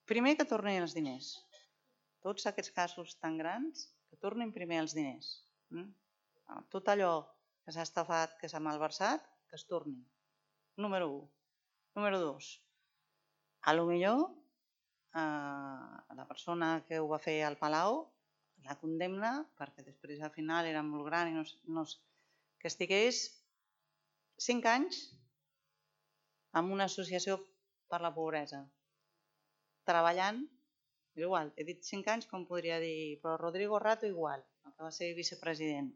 Primer que tornin els diners. Tots aquests casos tan grans, que tornin primer els diners. Tot allò que s'ha estafat, que s'ha malversat, que es torni. Número u. Número dos. A lo millor la persona que ho va fer al Palau la condemna perquè després al final era molt gran i no, no, que estigués cinc anys en una associació per la pobresa treballant igual, he dit cinc anys com podria dir, però Rodrigo Rato igual, el que va ser vicepresident.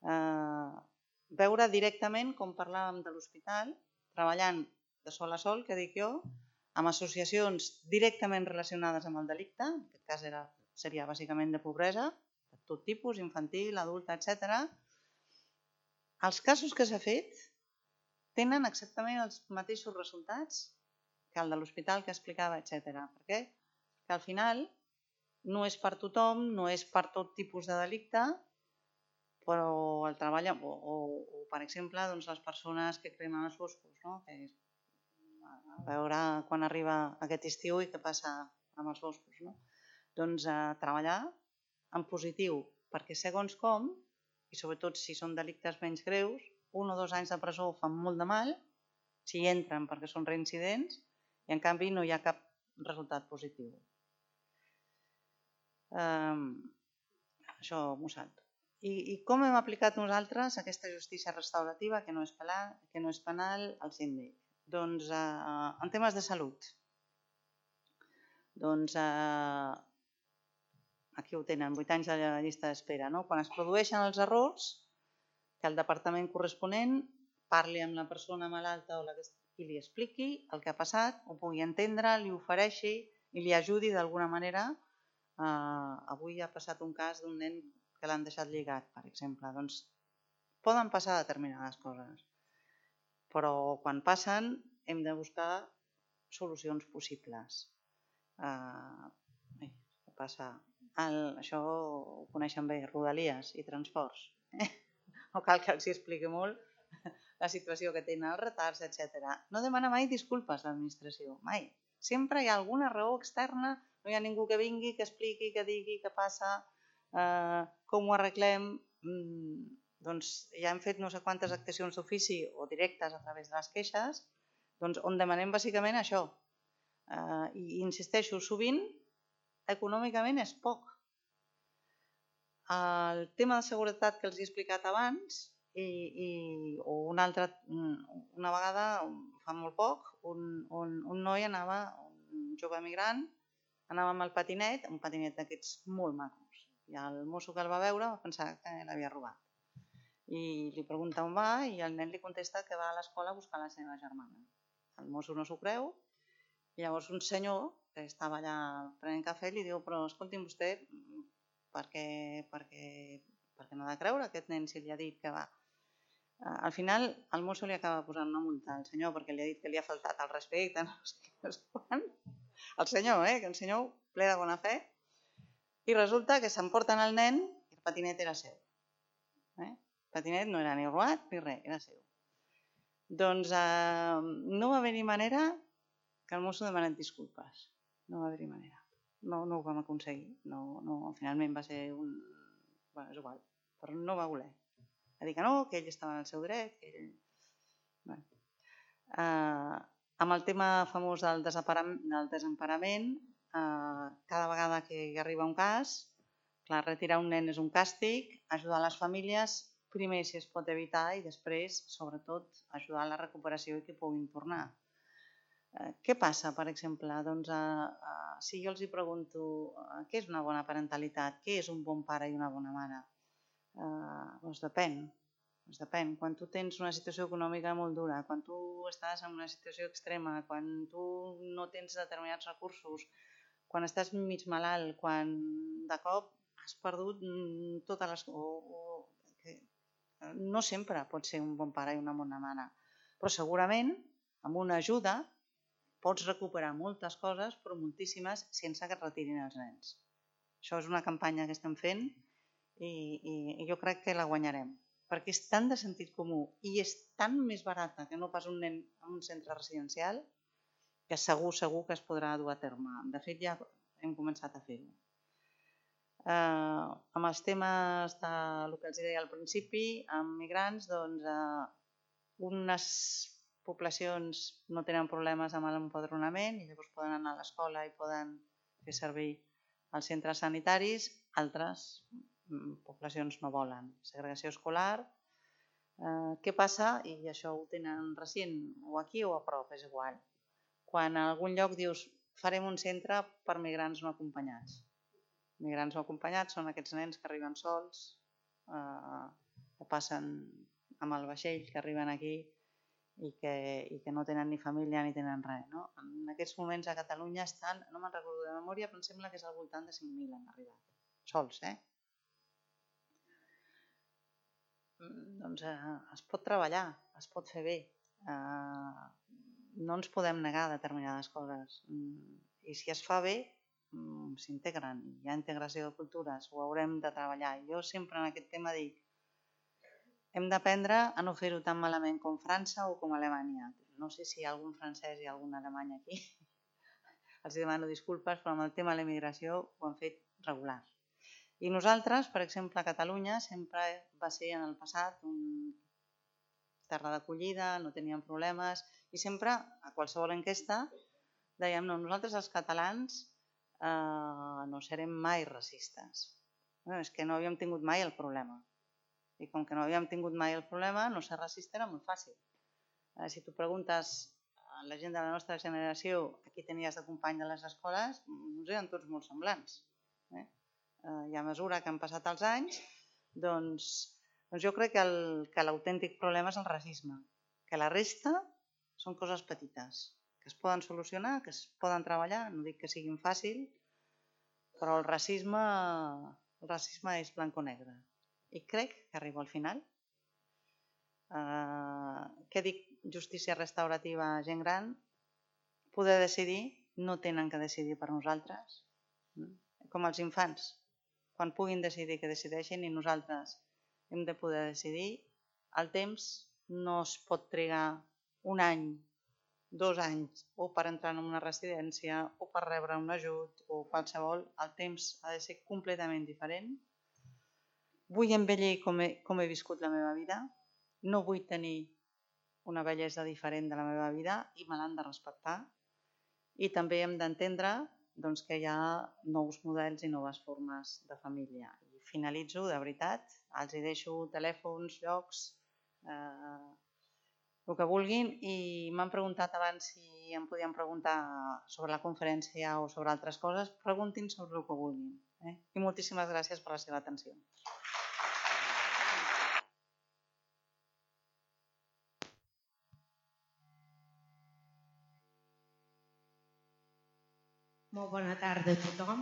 Eh, veure directament com parlàvem de l'hospital, treballant de sol a sol, que dic jo, amb associacions directament relacionades amb el delicte, en aquest cas era, seria bàsicament de pobresa, de tot tipus, infantil, adulta, etcètera. Els casos que s'ha fet tenen exactament els mateixos resultats que el de l'hospital que explicava, etcètera. Per què? Que al final no és per tothom, no és per tot tipus de delicte, però el treball, o, o, o per exemple, doncs, les persones que cremen els boscos, no? Que és, a veure quan arriba aquest estiu i què passa amb els boscos. No? Doncs a treballar en positiu, perquè segons com, i sobretot si són delictes menys greus, un o dos anys de presó fan molt de mal, si hi entren perquè són reincidents, i en canvi no hi ha cap resultat positiu. Um, això m'ho salto. I, I com hem aplicat nosaltres aquesta justícia restaurativa que no és penal, que no és penal al síndic? Doncs eh, en temes de salut. Doncs eh, aquí ho tenen, vuit anys de llista d'espera. No? Quan es produeixen els errors, que el departament corresponent parli amb la persona malalta o la que i li expliqui el que ha passat, ho pugui entendre, li ofereixi i li ajudi d'alguna manera. Eh, avui ha passat un cas d'un nen que l'han deixat lligat, per exemple. Doncs poden passar determinades coses, però quan passen hem de buscar solucions possibles. Eh, què passa? El, això ho coneixen bé, Rodalies i transports. Eh? No cal que els expliqui molt la situació que tenen, els retards, etcètera. No demana mai disculpes a l'administració, mai. Sempre hi ha alguna raó externa, no hi ha ningú que vingui, que expliqui, que digui què passa, eh, com ho arreglem. Mm, doncs ja hem fet no sé quantes actuacions d'ofici o directes a través de les queixes, doncs on demanem bàsicament això. Eh, I insisteixo, sovint econòmicament és poc. El tema de seguretat que els he explicat abans, i, i, o una altra, una vegada, fa molt poc, un, un, un noi anava, un jove migrant, anava amb el patinet, un patinet d'aquests molt macos. I el mosso que el va veure va pensar que l'havia robat. I li pregunta on va i el nen li contesta que va a l'escola a buscar la seva germana. El mosso no s'ho creu i llavors un senyor que estava allà prenent cafè li diu però escolti'm vostè, per què, per què, per què no ha de creure aquest nen si li ha dit que va? Al final el mosso li acaba posant una multa al senyor perquè li ha dit que li ha faltat el respecte, no sé, no sé quan. El senyor, eh, que el senyor ple de bona fe, i resulta que s'emporten el nen i el patinet era seu. Eh? El patinet no era ni robat ni res, era seu. Doncs no va haver-hi manera que el mosso demanat disculpes. No va haver-hi manera. No ho vam aconseguir. Finalment va ser un... Bé, és igual, però no va voler. Va dir que no, que ell estava en el seu dret, que ell... Amb el tema famós del desemparament, cada vegada que arriba un cas, clar, retirar un nen és un càstig, ajudar les famílies, primer si es pot evitar i després, sobretot, ajudar a la recuperació i que puguin tornar. Què passa, per exemple? Doncs si jo els pregunto què és una bona parentalitat, què és un bon pare i una bona mare? Doncs depèn. Depèn. Quan tu tens una situació econòmica molt dura, quan tu estàs en una situació extrema, quan tu no tens determinats recursos, quan estàs mig malalt, quan de cop has perdut totes les... No sempre pot ser un bon pare i una bona mare, però segurament amb una ajuda pots recuperar moltes coses, però moltíssimes, sense que et retirin els nens. Això és una campanya que estem fent i jo crec que la guanyarem, perquè és tan de sentit comú i és tan més barata que no pas un nen en un centre residencial que segur, segur que es podrà dur a terme. De fet, ja hem començat a fer-ho. Amb els temes del que els deia al principi, amb migrants, doncs unes poblacions no tenen problemes amb l'empadronament i llavors poden anar a l'escola i poden fer servir els centres sanitaris, altres poblacions no volen. Segregació escolar, què passa? I això ho tenen recent, o aquí o a prop, és igual. Quan a algun lloc dius farem un centre per migrants no acompanyats. Migrants no acompanyats són aquests nens que arriben sols, que passen amb el vaixell, que arriben aquí i que no tenen ni família ni tenen res. En aquests moments a Catalunya estan, no me'n recordo de memòria, però em sembla que és al voltant de cinc mil han arribat. Sols, eh? Doncs es pot treballar, es pot fer bé. No ens podem negar a determinades coses. I si es fa bé, s'integren. Hi ha integració de cultures, ho haurem de treballar. Jo sempre en aquest tema dic hem d'aprendre a no fer-ho tan malament com França o com Alemanya. No sé si hi ha algun francès i algun alemany aquí. Els demano disculpes, però amb el tema de l'emigració ho han fet regular. I nosaltres, per exemple, a Catalunya, sempre va ser en el passat una terra d'acollida, no teníem problemes, i sempre, a qualsevol enquesta, dèiem, no, nosaltres els catalans no serem mai racistes. És que no havíem tingut mai el problema. I com que no havíem tingut mai el problema, no ser racista era molt fàcil. Si tu preguntes a la gent de la nostra generació a qui tenies de company de les escoles, ens eren tots molt semblants. I a mesura que han passat els anys, doncs jo crec que l'autèntic problema és el racisme, que la resta són coses petites, que es poden solucionar, que es poden treballar, no dic que siguin fàcil, però el racisme és blanc o negre. I crec que arribo al final. Què dic? Justícia restaurativa a gent gran. Poder decidir, no tenen que decidir per nosaltres. Com els infants. Quan puguin decidir que decideixin i nosaltres hem de poder decidir. El temps no es pot trigar un any, dos anys, o per entrar en una residència, o per rebre un ajut, o qualsevol. El temps ha de ser completament diferent. Vull envellir com he viscut la meva vida, no vull tenir una bellesa diferent de la meva vida i me l'han de respectar. I també hem d'entendre que hi ha nous models i noves formes de família. I finalitzo, de veritat, els deixo telèfons, llocs, el que vulguin, i m'han preguntat abans si em podien preguntar sobre la conferència o sobre altres coses, preguntin sobre el que vulguin. I moltíssimes gràcies per la seva atenció. Molt bona tarda a tothom.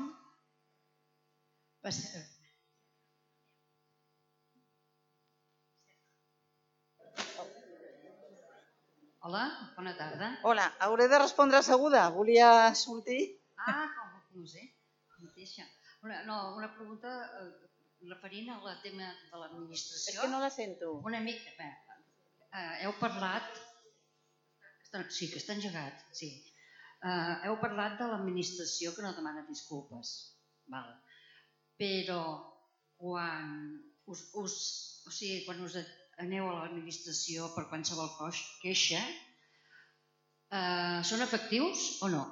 Hola, bona tarda. Hola, hauré de respondre asseguda. Volia sortir. Ah, com no sé, mateixa. Una pregunta referint al tema de l'administració. És que no la sento. Una mica, heu parlat Sí, que està engegat, sí. Uh, heu parlat de l'administració que no demana disculpes, val. Però quan us, us, o sigui, quan us aneu a l'administració per qualsevol queixa, uh, són efectius o no?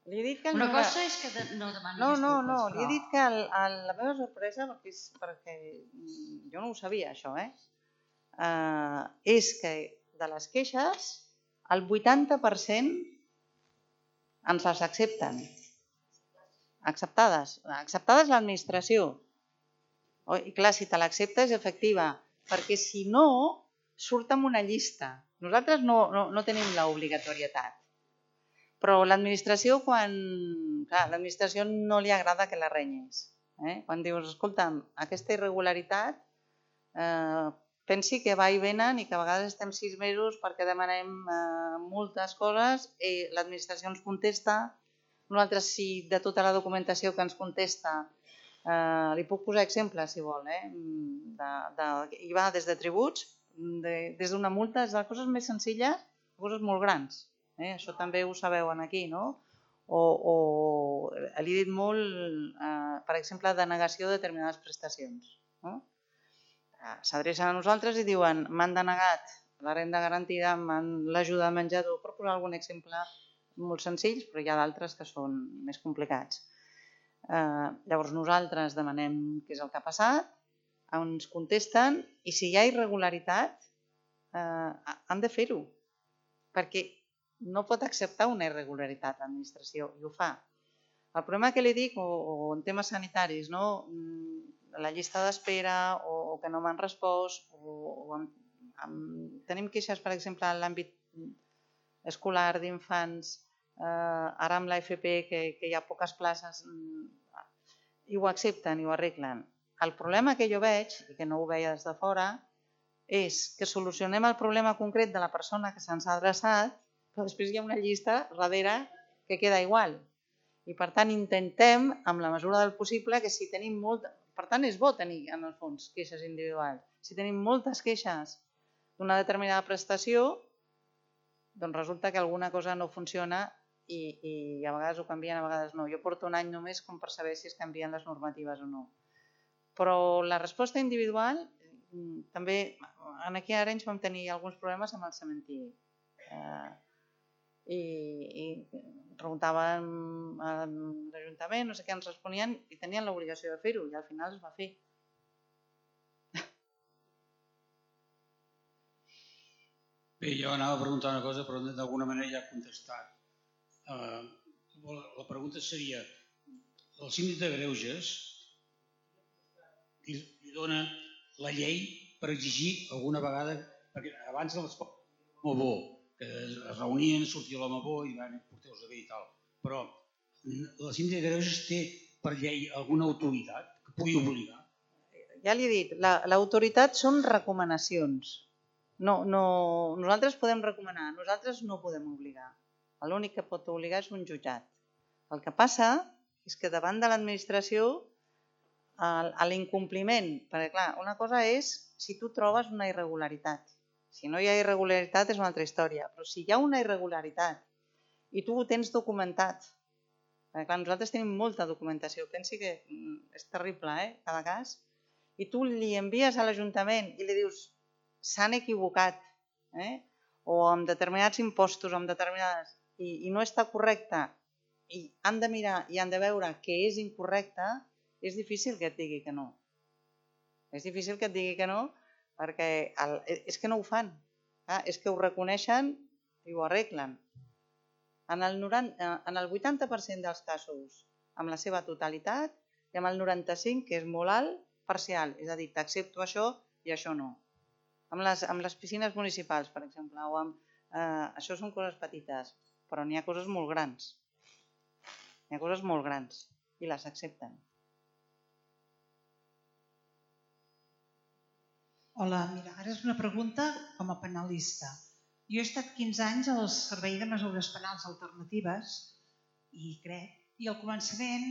Li he dit que Una cosa és que de, no demani no, disculpes, no, no, però... li he dit que el, el, la meva sorpresa, perquè, és, perquè jo no ho sabia això, eh? Uh, és que de les queixes el vuitanta per cent ens les accepten. Acceptades. Acceptades l'administració. Oh, i clar, si te l'accepta és efectiva, perquè si no, surt amb una llista. Nosaltres no, no, no tenim l'obligatorietat. Però l'administració, quan... Clar, l'administració no li agrada que la renyis. Eh? Quan dius, escolta'm, aquesta irregularitat, eh, pensi que va i venen i que a vegades estem sis mesos perquè demanem eh, moltes coses i l'administració ens contesta. Nosaltres, si de tota la documentació que ens contesta, eh, li puc posar exemples, si vol, eh? de, de, hi va des de tributs, de, des d'una multa, des de coses més senzilles a coses molt grans. Eh? Això també ho sabeu aquí, no? O, o li he dit molt, eh, per exemple, denegació de determinades prestacions. No? S'adrecen a nosaltres i diuen m'han denegat la renda garantida, l'ajuda de menjador, per posar algun exemple molt senzills, però hi ha d'altres que són més complicats. Eh, llavors nosaltres demanem què és el que ha passat, ens contesten i si hi ha irregularitat eh, han de fer-ho, perquè no pot acceptar una irregularitat l'administració i ho fa. El problema que li dic, o, o en temes sanitaris, no? La llista d'espera o, o que no m'han respost, o, o amb, amb, tenim queixes, per exemple, en l'àmbit escolar d'infants, eh, ara amb l'A F P, que, que hi ha poques places, i ho accepten i ho arreglen. El problema que jo veig, i que no ho veia des de fora, és que solucionem el problema concret de la persona que se'ns ha adreçat, però després hi ha una llista darrere que queda igual. I per tant intentem, amb la mesura del possible, que si tenim molt... Per tant és bo tenir, en el fons, queixes individuals. Si tenim moltes queixes d'una determinada prestació, doncs resulta que alguna cosa no funciona i, i a vegades ho canvien, a vegades no. Jo porto un any només com per saber si es canvien les normatives o no. Però la resposta individual, també, aquí a Arenys vam tenir alguns problemes amb el cementiri. Eh, i, i preguntaven a l'Ajuntament, no sé què ens responien i tenien l'obligació de fer-ho i al final es va fer. Bé, jo anava a preguntar una cosa però d'alguna manera ja he contestat. Uh, la pregunta seria, el síndic de Greuges li, li dona la llei per exigir alguna vegada, perquè abans de l'esport molt bo, que es reunien, sortia l'home bo i van portar-los a bé i tal. Però la síndic de Greuges té per llei alguna autoritat que pugui obligar? Ja li he dit, l'autoritat són recomanacions. No, no, nosaltres podem recomanar, nosaltres no podem obligar. L'únic que pot obligar és un jutjat. El que passa és que davant de l'administració, a l'incompliment, perquè clar, una cosa és si tu trobes una irregularitat. Si no hi ha irregularitat és una altra història, però si hi ha una irregularitat i tu ho tens documentat, perquè clar, nosaltres tenim molta documentació, pensi que és terrible, eh, cada cas, i tu li envies a l'Ajuntament i li dius s'han equivocat, eh, o amb determinats impostos, o amb determinades, i, i no està correcte, i han de mirar i han de veure que és incorrecte, és difícil que et digui que no. És difícil que et digui que no, perquè el, és que no ho fan, eh? És que ho reconeixen i ho arreglen. En el, noranta, en el vuitanta per cent dels casos, amb la seva totalitat, i amb el noranta-cinc, que és molt alt, parcial, és a dir, t'accepto això i això no. Amb les, amb les piscines municipals, per exemple, o amb, eh, això són coses petites, però n'hi ha coses molt grans. N'hi ha coses molt grans i les accepten. Hola, mira, ara és una pregunta com a penalista. Jo he estat quinze anys al Servei de Mesures Penals Alternatives i crec, i al començament,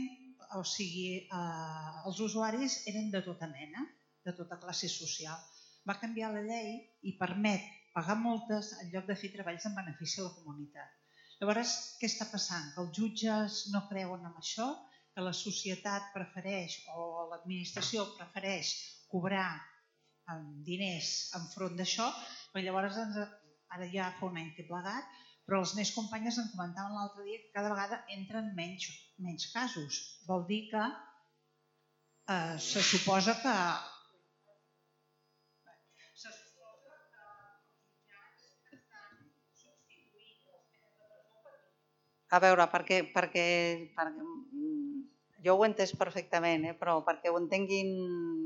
o sigui, eh, els usuaris eren de tota mena, de tota classe social. Va canviar la llei i permet pagar multes en lloc de fer treballs en benefici a la comunitat. Llavors, què està passant? Que els jutges no creuen en això, que la societat prefereix o l'administració prefereix cobrar diners enfront d'això, però llavors ara ja fa un any que he plegat, però les meves companyes em comentaven l'altre dia que cada vegada entren menys, menys casos. Vol dir que eh, se suposa que se suposa que els jutjats estan substituint les penes de presó per... A veure, perquè, perquè, perquè jo ho he entès perfectament, eh? Però perquè ho entenguin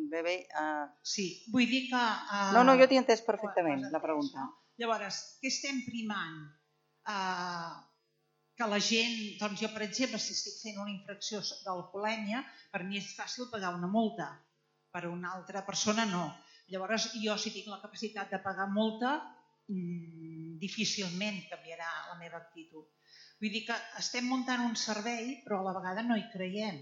bé bé... Uh... Sí, vull dir que... Uh... No, no, jo t'hi he entès perfectament, la pregunta. Llavors, què estem primant? Uh, que la gent, doncs jo per exemple, si estic fent una infracció d'alcoholèmia, per mi és fàcil pagar una multa, per una altra persona no. Llavors jo si tinc la capacitat de pagar multa, mmm, difícilment canviarà la meva actitud. Vull dir que estem muntant un servei però a la vegada no hi creiem.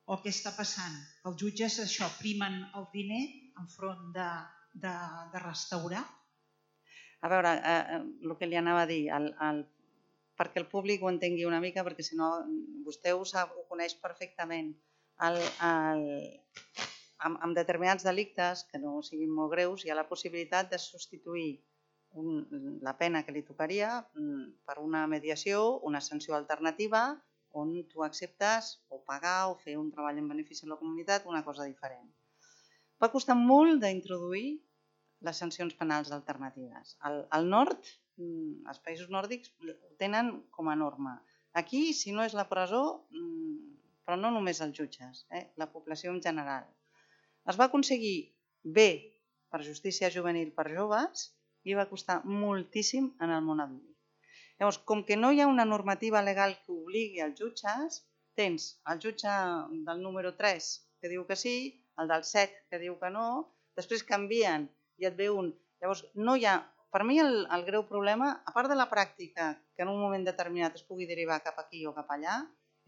O què està passant? Que els jutges això primen el diner enfront de, de, de restaurar? A veure, eh, el que li anava a dir, el, el, perquè el públic ho entengui una mica, perquè si no vostè ho, sap, ho coneix perfectament. El, el, amb, amb determinats delictes, que no siguin molt greus, hi ha la possibilitat de substituir un, la pena que li tocaria per una mediació, una sanció alternativa, on tu acceptes o pagar o fer un treball en benefici de la comunitat, una cosa diferent. Va costar molt d'introduir les sancions penals alternatives. Al, al nord, els països nòrdics ho tenen com a norma. Aquí, si no és la presó, però no només els jutges, eh? La població en general. Es va aconseguir bé per justícia juvenil per joves i va costar moltíssim en el món adult. Llavors, com que no hi ha una normativa legal que obligui als jutges, tens el jutge del número tres que diu que sí, el del set que diu que no, després canvien i et ve un. Llavors, no hi ha... Per mi el, el greu problema, a part de la pràctica, que en un moment determinat es pugui derivar cap aquí o cap allà,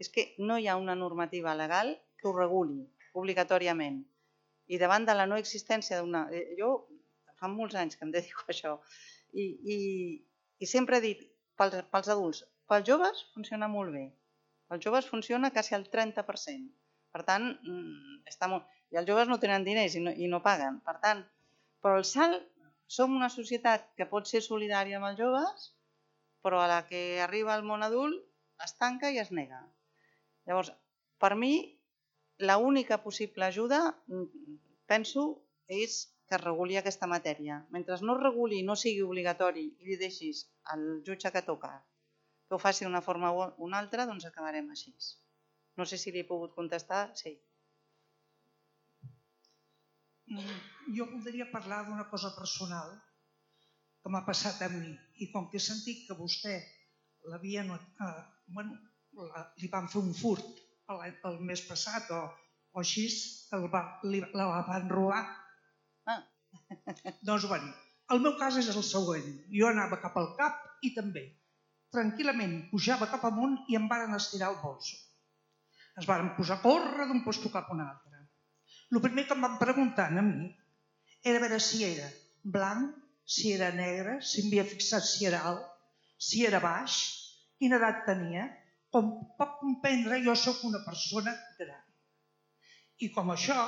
és que no hi ha una normativa legal que ho reguli obligatòriament. I davant de la no existència d'una... Jo fa molts anys que em dedico a això i, i, i sempre he dit pels, pels adults, pels joves funciona molt bé. Pels joves funciona quasi al trenta per cent. Per tant, està molt... i els joves no tenen diners i no, i no paguen. Per tant, però el salt, som una societat que pot ser solidària amb els joves, però a la que arriba al món adult es tanca i es nega. Llavors, per mi, l'única possible ajuda, penso, és que es reguli aquesta matèria. Mentre no es reguli, no sigui obligatori i li deixis al jutge que toca que ho faci d'una forma o una altra, doncs acabarem així. No sé si li he pogut contestar. Sí. Jo voldria parlar d'una cosa personal que m'ha passat a mi i com que he sentit que vostè l'havien, eh, bueno, la, li van fer un furt el, el mes passat o, o així, el va, li, la van robar. Ah. Doncs bueno, el meu cas és el següent. Jo anava cap al cap i també. Tranquil·lament pujava cap amunt i em varen estirar el bolso. Es varen posar a córrer d'un lloc cap a un altre. El primer que em van preguntar a mi era veure si era blanc, si era negre, si m'havia fixat si era alt, si era baix, quina edat tenia. Com pot comprendre, jo sóc una persona gran. I com això,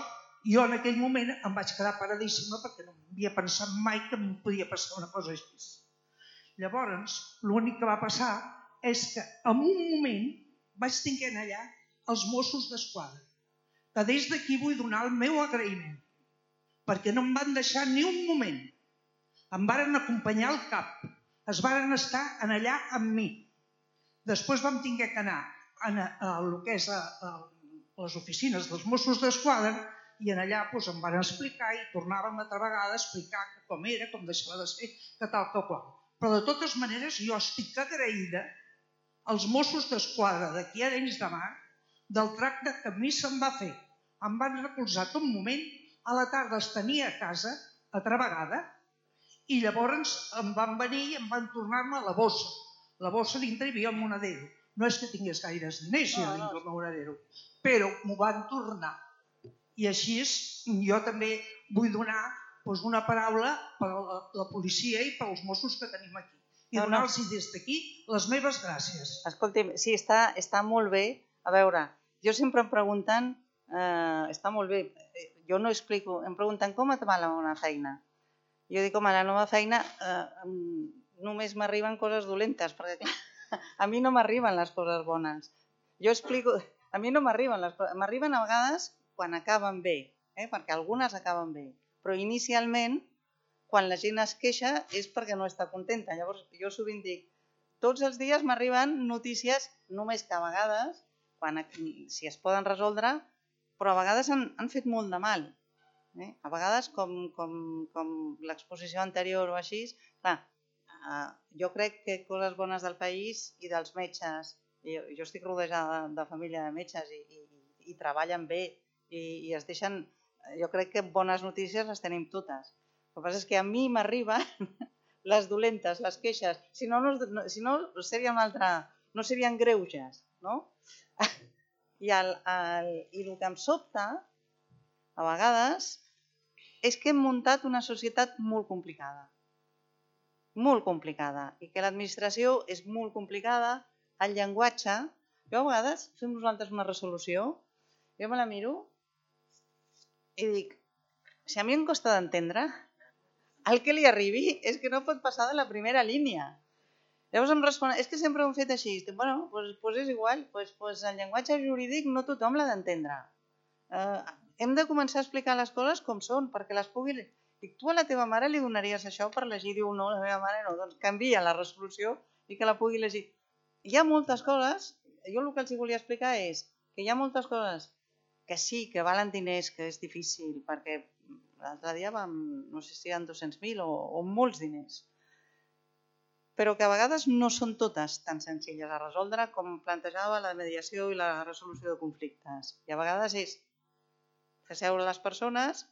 jo en aquell moment em vaig quedar paradíssima perquè no havia pensat mai que em podia passar una cosa així. Llavors, l'únic que va passar és que en un moment vaig tenir allà els Mossos d'Esquadra, que des d'aquí vull donar el meu agraïment, perquè no em van deixar ni un moment. Em varen acompanyar al cap, es varen estar allà amb mi. Després vam haver d'anar a el que és a les oficines dels Mossos d'Esquadra i allà em van explicar i tornàvem altra vegada a explicar com era, com deixava de ser, que tal que qual. Però de totes maneres jo estic agraïda als Mossos d'Esquadra d'aquí a Arenys de Mar del tracte que a mi se'm va fer. Em van recolzar tot un moment, a la tarda els tenia a casa, altra vegada, i llavors em van venir i em van tornar-me la bossa. La bossa dintre hi havia un monedero. No és que tingués gaires diners jo dintre el monedero, però m'ho van tornar. I així jo també vull donar doncs, una paraula per a la, la policia i pels Mossos que tenim aquí. I No, no. donar-los des d'aquí les meves gràcies. Escolti'm, sí, està, està molt bé. A veure, jo sempre em pregunten, eh, està molt bé, jo no explico, em pregunten com et va la nova feina. Jo dic, home, la nova feina eh, només m'arriben coses dolentes, perquè a mi no m'arriben les coses bones. Jo explico, a mi no m'arriben les coses, m'arriben a vegades quan acaben bé, eh, perquè algunes acaben bé, però inicialment, quan la gent es queixa és perquè no està contenta. Llavors, jo sovint dic, tots els dies m'arriben notícies, només que a vegades, quan, si es poden resoldre, però a vegades han, han fet molt de mal. Eh? A vegades, com, com, com l'exposició anterior o així, clar, eh, jo crec que coses bones del país i dels metges, jo, jo estic rodejada de, de família de metges i, i, i treballen bé i, i es deixen, jo crec que bones notícies les tenim totes. El que passa és que a mi m'arriben les dolentes, les queixes, si no, no, si no seria una altra, no serien greuges, no? I el, el, i el que em sobta, a vegades, és que hem muntat una societat molt complicada. Molt complicada. I que l'administració és molt complicada, el llenguatge. Jo a vegades fem nosaltres una resolució, jo me la miro i dic, si a mi em costa d'entendre, el que li arribi és que no pot passar de la primera línia. Llavors em respon, és que sempre ho hem fet així. Dic, bueno, doncs, doncs és igual, doncs, doncs el llenguatge jurídic no tothom l'ha d'entendre. Eh, hem de començar a explicar les coses com són, perquè les pugui... Dic, tu a la teva mare li donaries això per llegir? Diu, no, la meva mare no. Doncs canvia la resolució i que la pugui llegir. Hi ha moltes coses, jo el que els volia explicar és que hi ha moltes coses que sí, que valen diners, que és difícil, perquè l'altre dia vam, no sé si eren dos-cents mil o, o molts diners, però que a vegades no són totes tan senzilles a resoldre com plantejava la mediació i la resolució de conflictes. I a vegades és fer seure les persones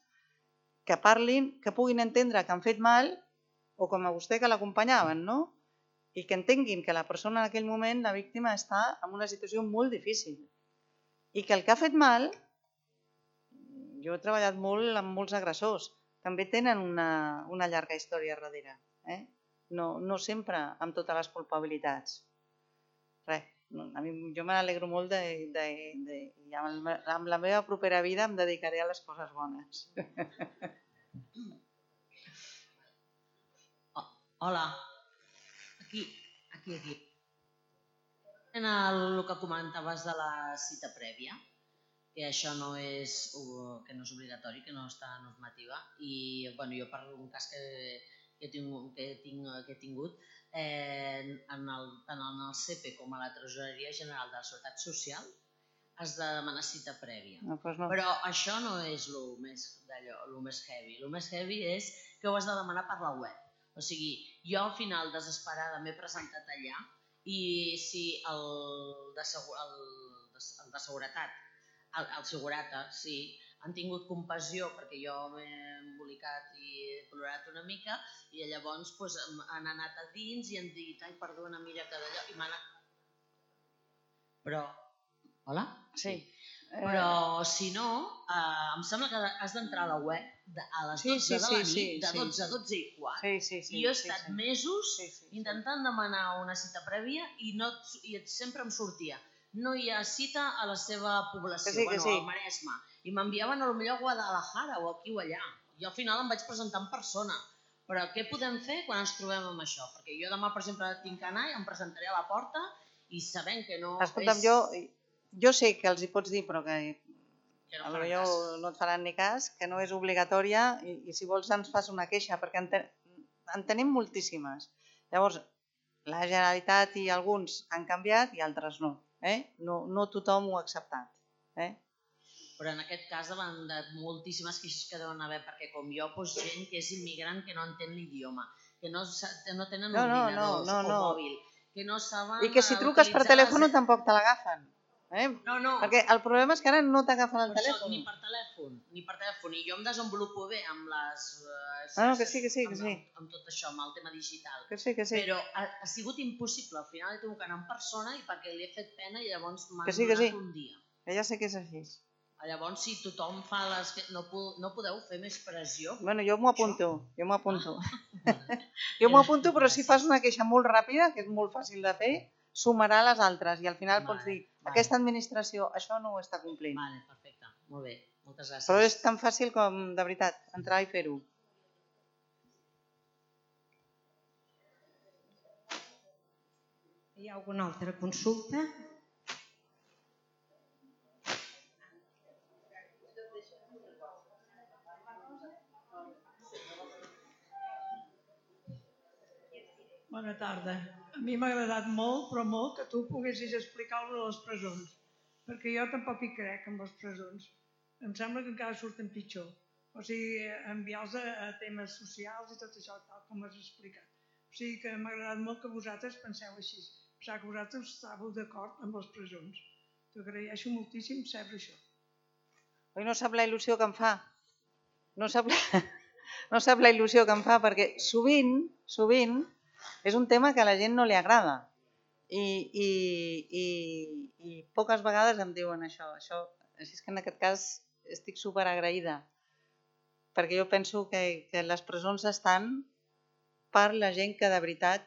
que parlin, que puguin entendre que han fet mal, o com a vostè que l'acompanyaven, no? I que entenguin que la persona en aquell moment, la víctima, està en una situació molt difícil. I que el que ha fet mal, jo he treballat molt amb molts agressors, també tenen una, una llarga història darrere. Eh? No, no sempre amb totes les culpabilitats. Res, a mi, jo me n'alegro molt de, de, de, i amb, amb la meva propera vida em dedicaré a les coses bones. Oh, hola, aquí, aquí, aquí. En el, el que comentaves de la cita prèvia, que això no és, que no és obligatori, que no està a normativa, i bueno, jo per un cas que, que, tinc, que, tinc, que he tingut, eh, en el, tant en el C P com a la Tresoreria General de la Seguretat Social has de demanar cita prèvia. No, doncs no. Però això no és el més, més heavy. El més heavy és que ho has de demanar per la web. O sigui, jo al final, desesperada, m'he presentat allà i si el de, el, el de seguretat, el, el segurata, sí, han tingut compassió perquè jo m'he embolicat i he plorat una mica i llavors doncs, han anat a dins i han dit, ai, perdona, mira que d'allò, i m'han... Però... Hola? Sí. Però si no, eh, em sembla que has d'entrar a la web de, a les dotze sí, sí, de la nit, sí, sí, de dotze a dotze i quart, sí, sí, sí, i jo he estat sí, sí. mesos sí, sí, sí. intentant demanar una cita prèvia i, no, i sempre em sortia. No hi ha cita a la seva població, sí, bueno, sí. al Maresme. I m'enviaven potser a Guadalajara o aquí o allà. Jo al final em vaig presentar en persona. Però què podem fer quan ens trobem amb això? Perquè jo demà, per exemple, tinc que anar i em presentaré a la porta i sabent que no... Escolta'm, és... jo, jo sé que els hi pots dir, però que, que no, potser no et faran ni cas, que no és obligatòria i, i si vols ens fas una queixa, perquè en, te, en tenim moltíssimes. Llavors, la Generalitat i alguns han canviat i altres no. Eh? No, no tothom ho ha acceptat. Eh? Però en aquest cas davant de moltíssimes queixes que deuen haver, perquè com jo, doncs, gent que és immigrant que no entén l'idioma, que no, no tenen no, no, ordinadors no, no, no. o mòbil, que no saben... I que si truques per telèfon les... tampoc te l'agafen. Eh? No, no. Perquè el problema és que ara no t'agafen el per telèfon. Això, ni per telèfon, ni per telèfon. I jo em desenvolupo bé amb les... Uh, ah, no, que sí, que sí, que amb, sí. Amb, amb tot això, amb el tema digital. Que sí, que sí. Però ha, ha sigut impossible. Al final he tingut que anar en persona i perquè li he fet pena i llavors m'han sí, donat sí. un dia. Que ja sé que és així. Llavors, si tothom fa les... No, no podeu fer més pressió? Bueno, jo m'ho apunto, jo m'ho apunto. Jo m'ho apunto, però si fas una queixa molt ràpida, que és molt fàcil de fer, sumarà les altres i al final pots dir, aquesta administració això no ho està complint. Vale, perfecte, molt bé, moltes gràcies. Però és tan fàcil com, de veritat, entrar i fer-ho. Hi ha alguna altra consulta? Bona tarda. A mi m'ha agradat molt, però molt, que tu poguessis explicar de les presons, perquè jo tampoc hi crec en les presons. Em sembla que encara surten pitjor. O sigui, enviar-los a temes socials i tot això, tal com has explicat. O sigui que m'ha agradat molt que vosaltres penseu així. Pensar que vosaltres estàveu d'acord amb les presons. T'agraeixo moltíssim saber això. Oi, no sap la il·lusió que em fa? No sap la, no sap la il·lusió que em fa, perquè sovint, sovint, és un tema que a la gent no li agrada i, i, i, i poques vegades em diuen això. això. Així és que en aquest cas estic superagraïda, perquè jo penso que, que les presons estan per la gent que de veritat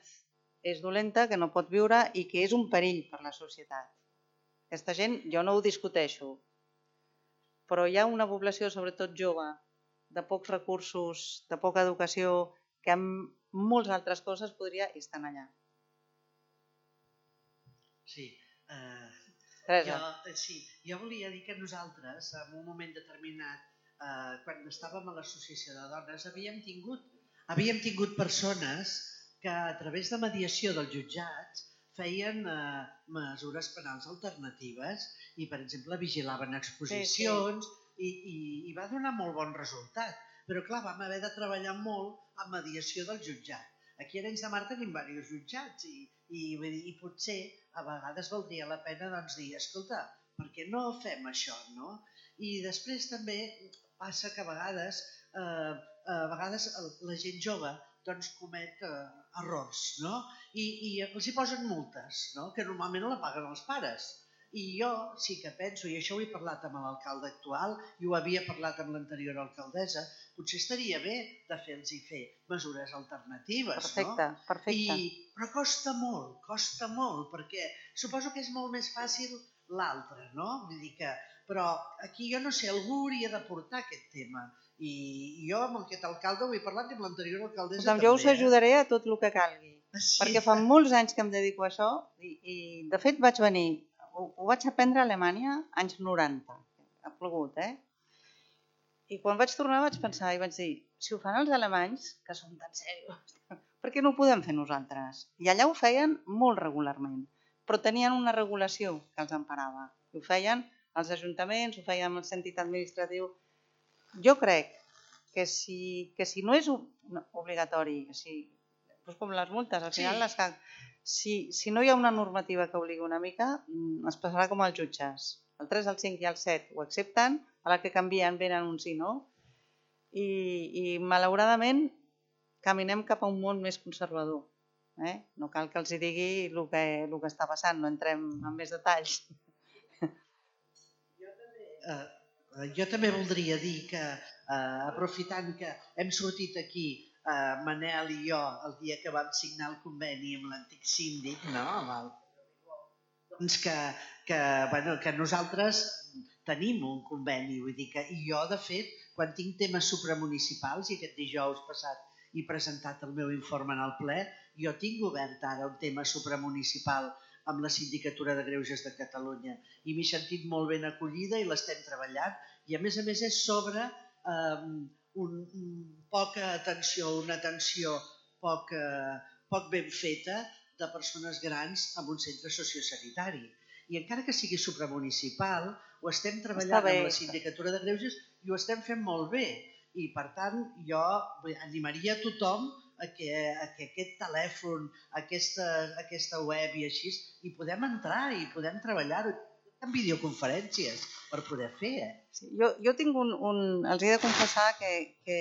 és dolenta, que no pot viure i que és un perill per la societat. Aquesta gent, jo no ho discuteixo, però hi ha una població, sobretot jove, de pocs recursos, de poca educació, que amb moltes altres coses podria estar allà. Sí, eh, Teresa. jo, sí, jo volia dir que nosaltres, en un moment determinat, eh, quan estàvem a l'associació de dones, havíem tingut, havíem tingut persones que a través de mediació dels jutjats feien eh, mesures penals alternatives i, per exemple, vigilaven exposicions sí, sí. I, i, i va donar molt bon resultat. Però, clar, vam haver de treballar molt en mediació del jutjat. Aquí a Arenys de Mar tenim diversos jutjats i, i, i potser a vegades valdria la pena doncs, dir, escolta, per què no fem això, no? I després també passa que a vegades, eh, a vegades la gent jove doncs, comet eh, errors, no? I, i els hi posen multes, no? Que normalment no la paguen els pares. I jo sí que penso, i això ho he parlat amb l'alcalde actual i ho havia parlat amb l'anterior alcaldessa, potser estaria bé de fer-los fer mesures alternatives, perfecte, no? Perfecte, I, però costa molt, costa molt, perquè suposo que és molt més fàcil l'altre, no? Vull dir que, però aquí jo no sé, algú hauria de portar aquest tema. I jo amb aquest alcalde ho he parlat i amb l'anterior alcaldessa doncs també. Jo us ajudaré a tot el que calgui, sí. Perquè fa molts anys que em dedico a això i, i de fet vaig venir, ho, ho vaig aprendre a Alemanya anys noranta, ha plogut, eh? I quan vaig tornar vaig pensar i vaig dir, si ho fan els alemanys, que són tan serios, per què no ho podem fer nosaltres? I allà ho feien molt regularment, però tenien una regulació que els emparava. Ho feien els ajuntaments, ho feien el sentit administratiu. Jo crec que si, que si no és obligatori, que si, doncs com les multes, al final sí. les, si, si no hi ha una normativa que obligui una mica, es passarà com als jutges. El tres, el cinc i el set ho accepten, a la que canvien venen un sí, no? I, i malauradament caminem cap a un món més conservador. Eh? No cal que els hi digui el que, el que està passant, no entrem en més detalls. Jo també, eh, jo també voldria dir que, eh, aprofitant que hem sortit aquí, eh, Manel i jo, el dia que vam signar el conveni amb l'antic síndic, no? Amb el... doncs que, que, bueno, que nosaltres tenim un conveni, vull dir que, i jo, de fet, quan tinc temes supramunicipals, i aquest dijous passat he presentat el meu informe en el ple, jo tinc obert ara un tema supramunicipal amb la Sindicatura de Greuges de Catalunya i m'he sentit molt ben acollida i l'estem treballant i a més a més és sobre eh, un, un, poca atenció, una atenció poc, eh, poc ben feta de persones grans en un centre sociosanitari. I encara que sigui supramunicipal, ho estem treballant amb la Sindicatura de Greuges i ho estem fent molt bé. I, per tant, jo animaria a tothom a que, a que aquest telèfon, aquesta, aquesta web i així, hi podem entrar i podem treballar-ho en videoconferències per poder fer. Eh? Sí, jo, jo tinc un, un... Els he de confessar que, que,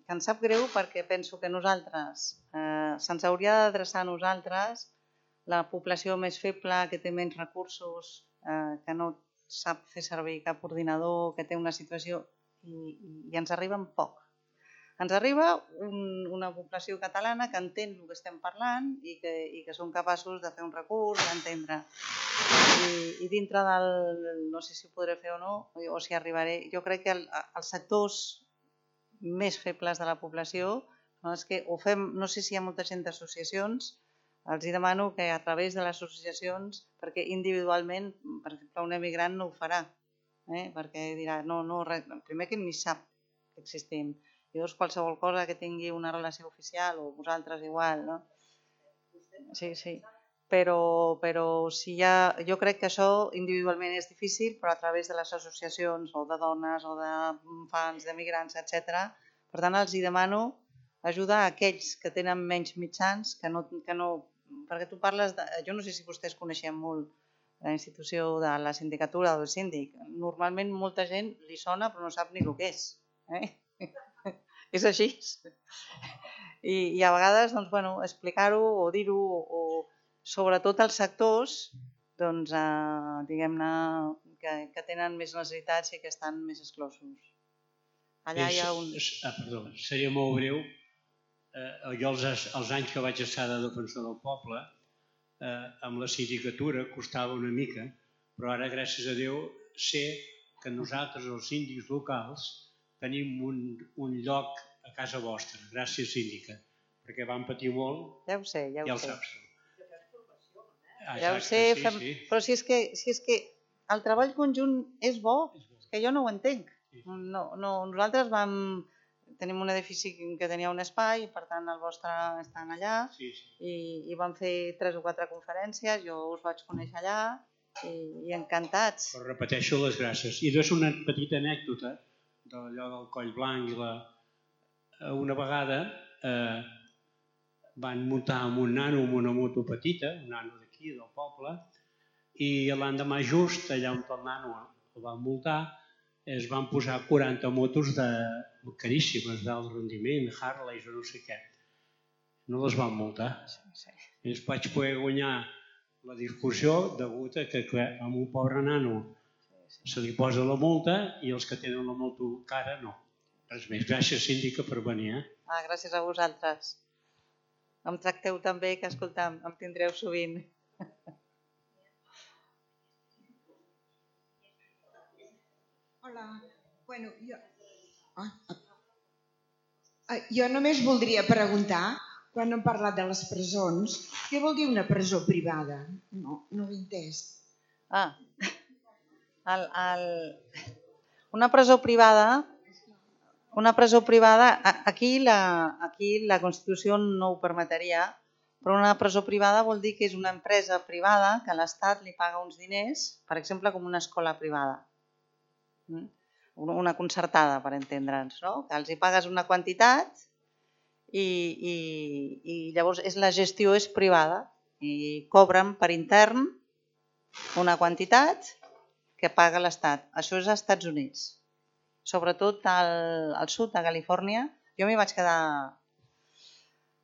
que em sap greu perquè penso que nosaltres, eh, se'ns hauria d'adreçar a nosaltres, la població més feble, que té menys recursos, eh, que no sap fer servir cap ordinador, que té una situació i, i ens arriben poc. Ens arriba un, una població catalana que entén el que estem parlant i que, i que són capaços de fer un recurs, d'entendre. I, I dintre del, no sé si ho podré fer o no, o si arribaré, jo crec que el, els sectors més febles de la població són els que ho fem, no sé si hi ha molta gent d'associacions, els demano que a través de les associacions, perquè individualment, per exemple, un emigrant no ho farà, eh? Perquè dirà, no, no, res, primer que ni sap que existim, i llavors qualsevol cosa que tingui una relació oficial o vosaltres igual, no? Sí, sí, però, però si hi ha, jo crec que això individualment és difícil, però a través de les associacions o de dones o d'infants, d'emigrants, etcètera. Per tant, els demano ajudar a aquells que tenen menys mitjans, que no, que no, perquè tu parles de, jo no sé si vostès coneixen molt la institució de la sindicatura o del síndic, normalment molta gent li sona però no sap ni el que és, eh? És així. I, i a vegades, doncs, bueno, explicar-ho o dir-ho, o sobretot als sectors, doncs, eh, diguem-ne, que, que tenen més necessitats i que estan més exclosos. Allà hi ha un... Ah, perdó, seria molt breu. Eh, jo els, els anys que vaig estar de defensor del poble, eh, amb la sindicatura costava una mica, però ara, gràcies a Déu, sé que nosaltres, els síndics locals, tenim un, un lloc a casa vostra, gràcies síndica, perquè vam patir molt, ja ho sé, ja ho ja ho sé. saps. Ah, ja ho sé, sí, fem... sí. Però si és, que, si és que el treball conjunt és bo, és que jo no ho entenc. No, no, nosaltres vam... Tenim un edifici que tenia un espai, per tant el vostre està allà, sí, sí. I, i vam fer tres o quatre conferències, jo us vaig conèixer allà i, i encantats. Però repeteixo les gràcies. I és una petita anècdota d'allò del Coll Blanc. I la... Una vegada eh, van muntar amb un nano, amb una moto petita, un nano d'aquí, del poble, i l'endemà just, allà on el nano el van multar, es van posar quaranta motos de caríssimes, d'alt rendiment, Harleys o no sé què. No les van multar. I es vaig poder guanyar la discussió degut a que a un pobre nano se li posa la multa i els que tenen la multa cara no. Res més. Gràcies, síndica, per venir. Eh? Ah, gràcies a vosaltres. Em tracteu tan bé que, escolta'm, em tindreu sovint. Hola, bueno, jo... Ah, ah. Jo només voldria preguntar, quan hem parlat de les presons, què vol dir una presó privada? No, no ho he entès. Ah, el, el... una presó privada, una presó privada, aquí la, aquí la Constitució no ho permetria, però una presó privada vol dir que és una empresa privada que l'Estat li paga uns diners, per exemple, com una escola privada. Una concertada, per entendre'ns, no? Que els hi pagues una quantitat i, i, i llavors és, la gestió és privada i cobren per intern una quantitat que paga l'Estat. Això és als Estats Units. Sobretot al, al sud de Califòrnia. Jo m'hi vaig quedar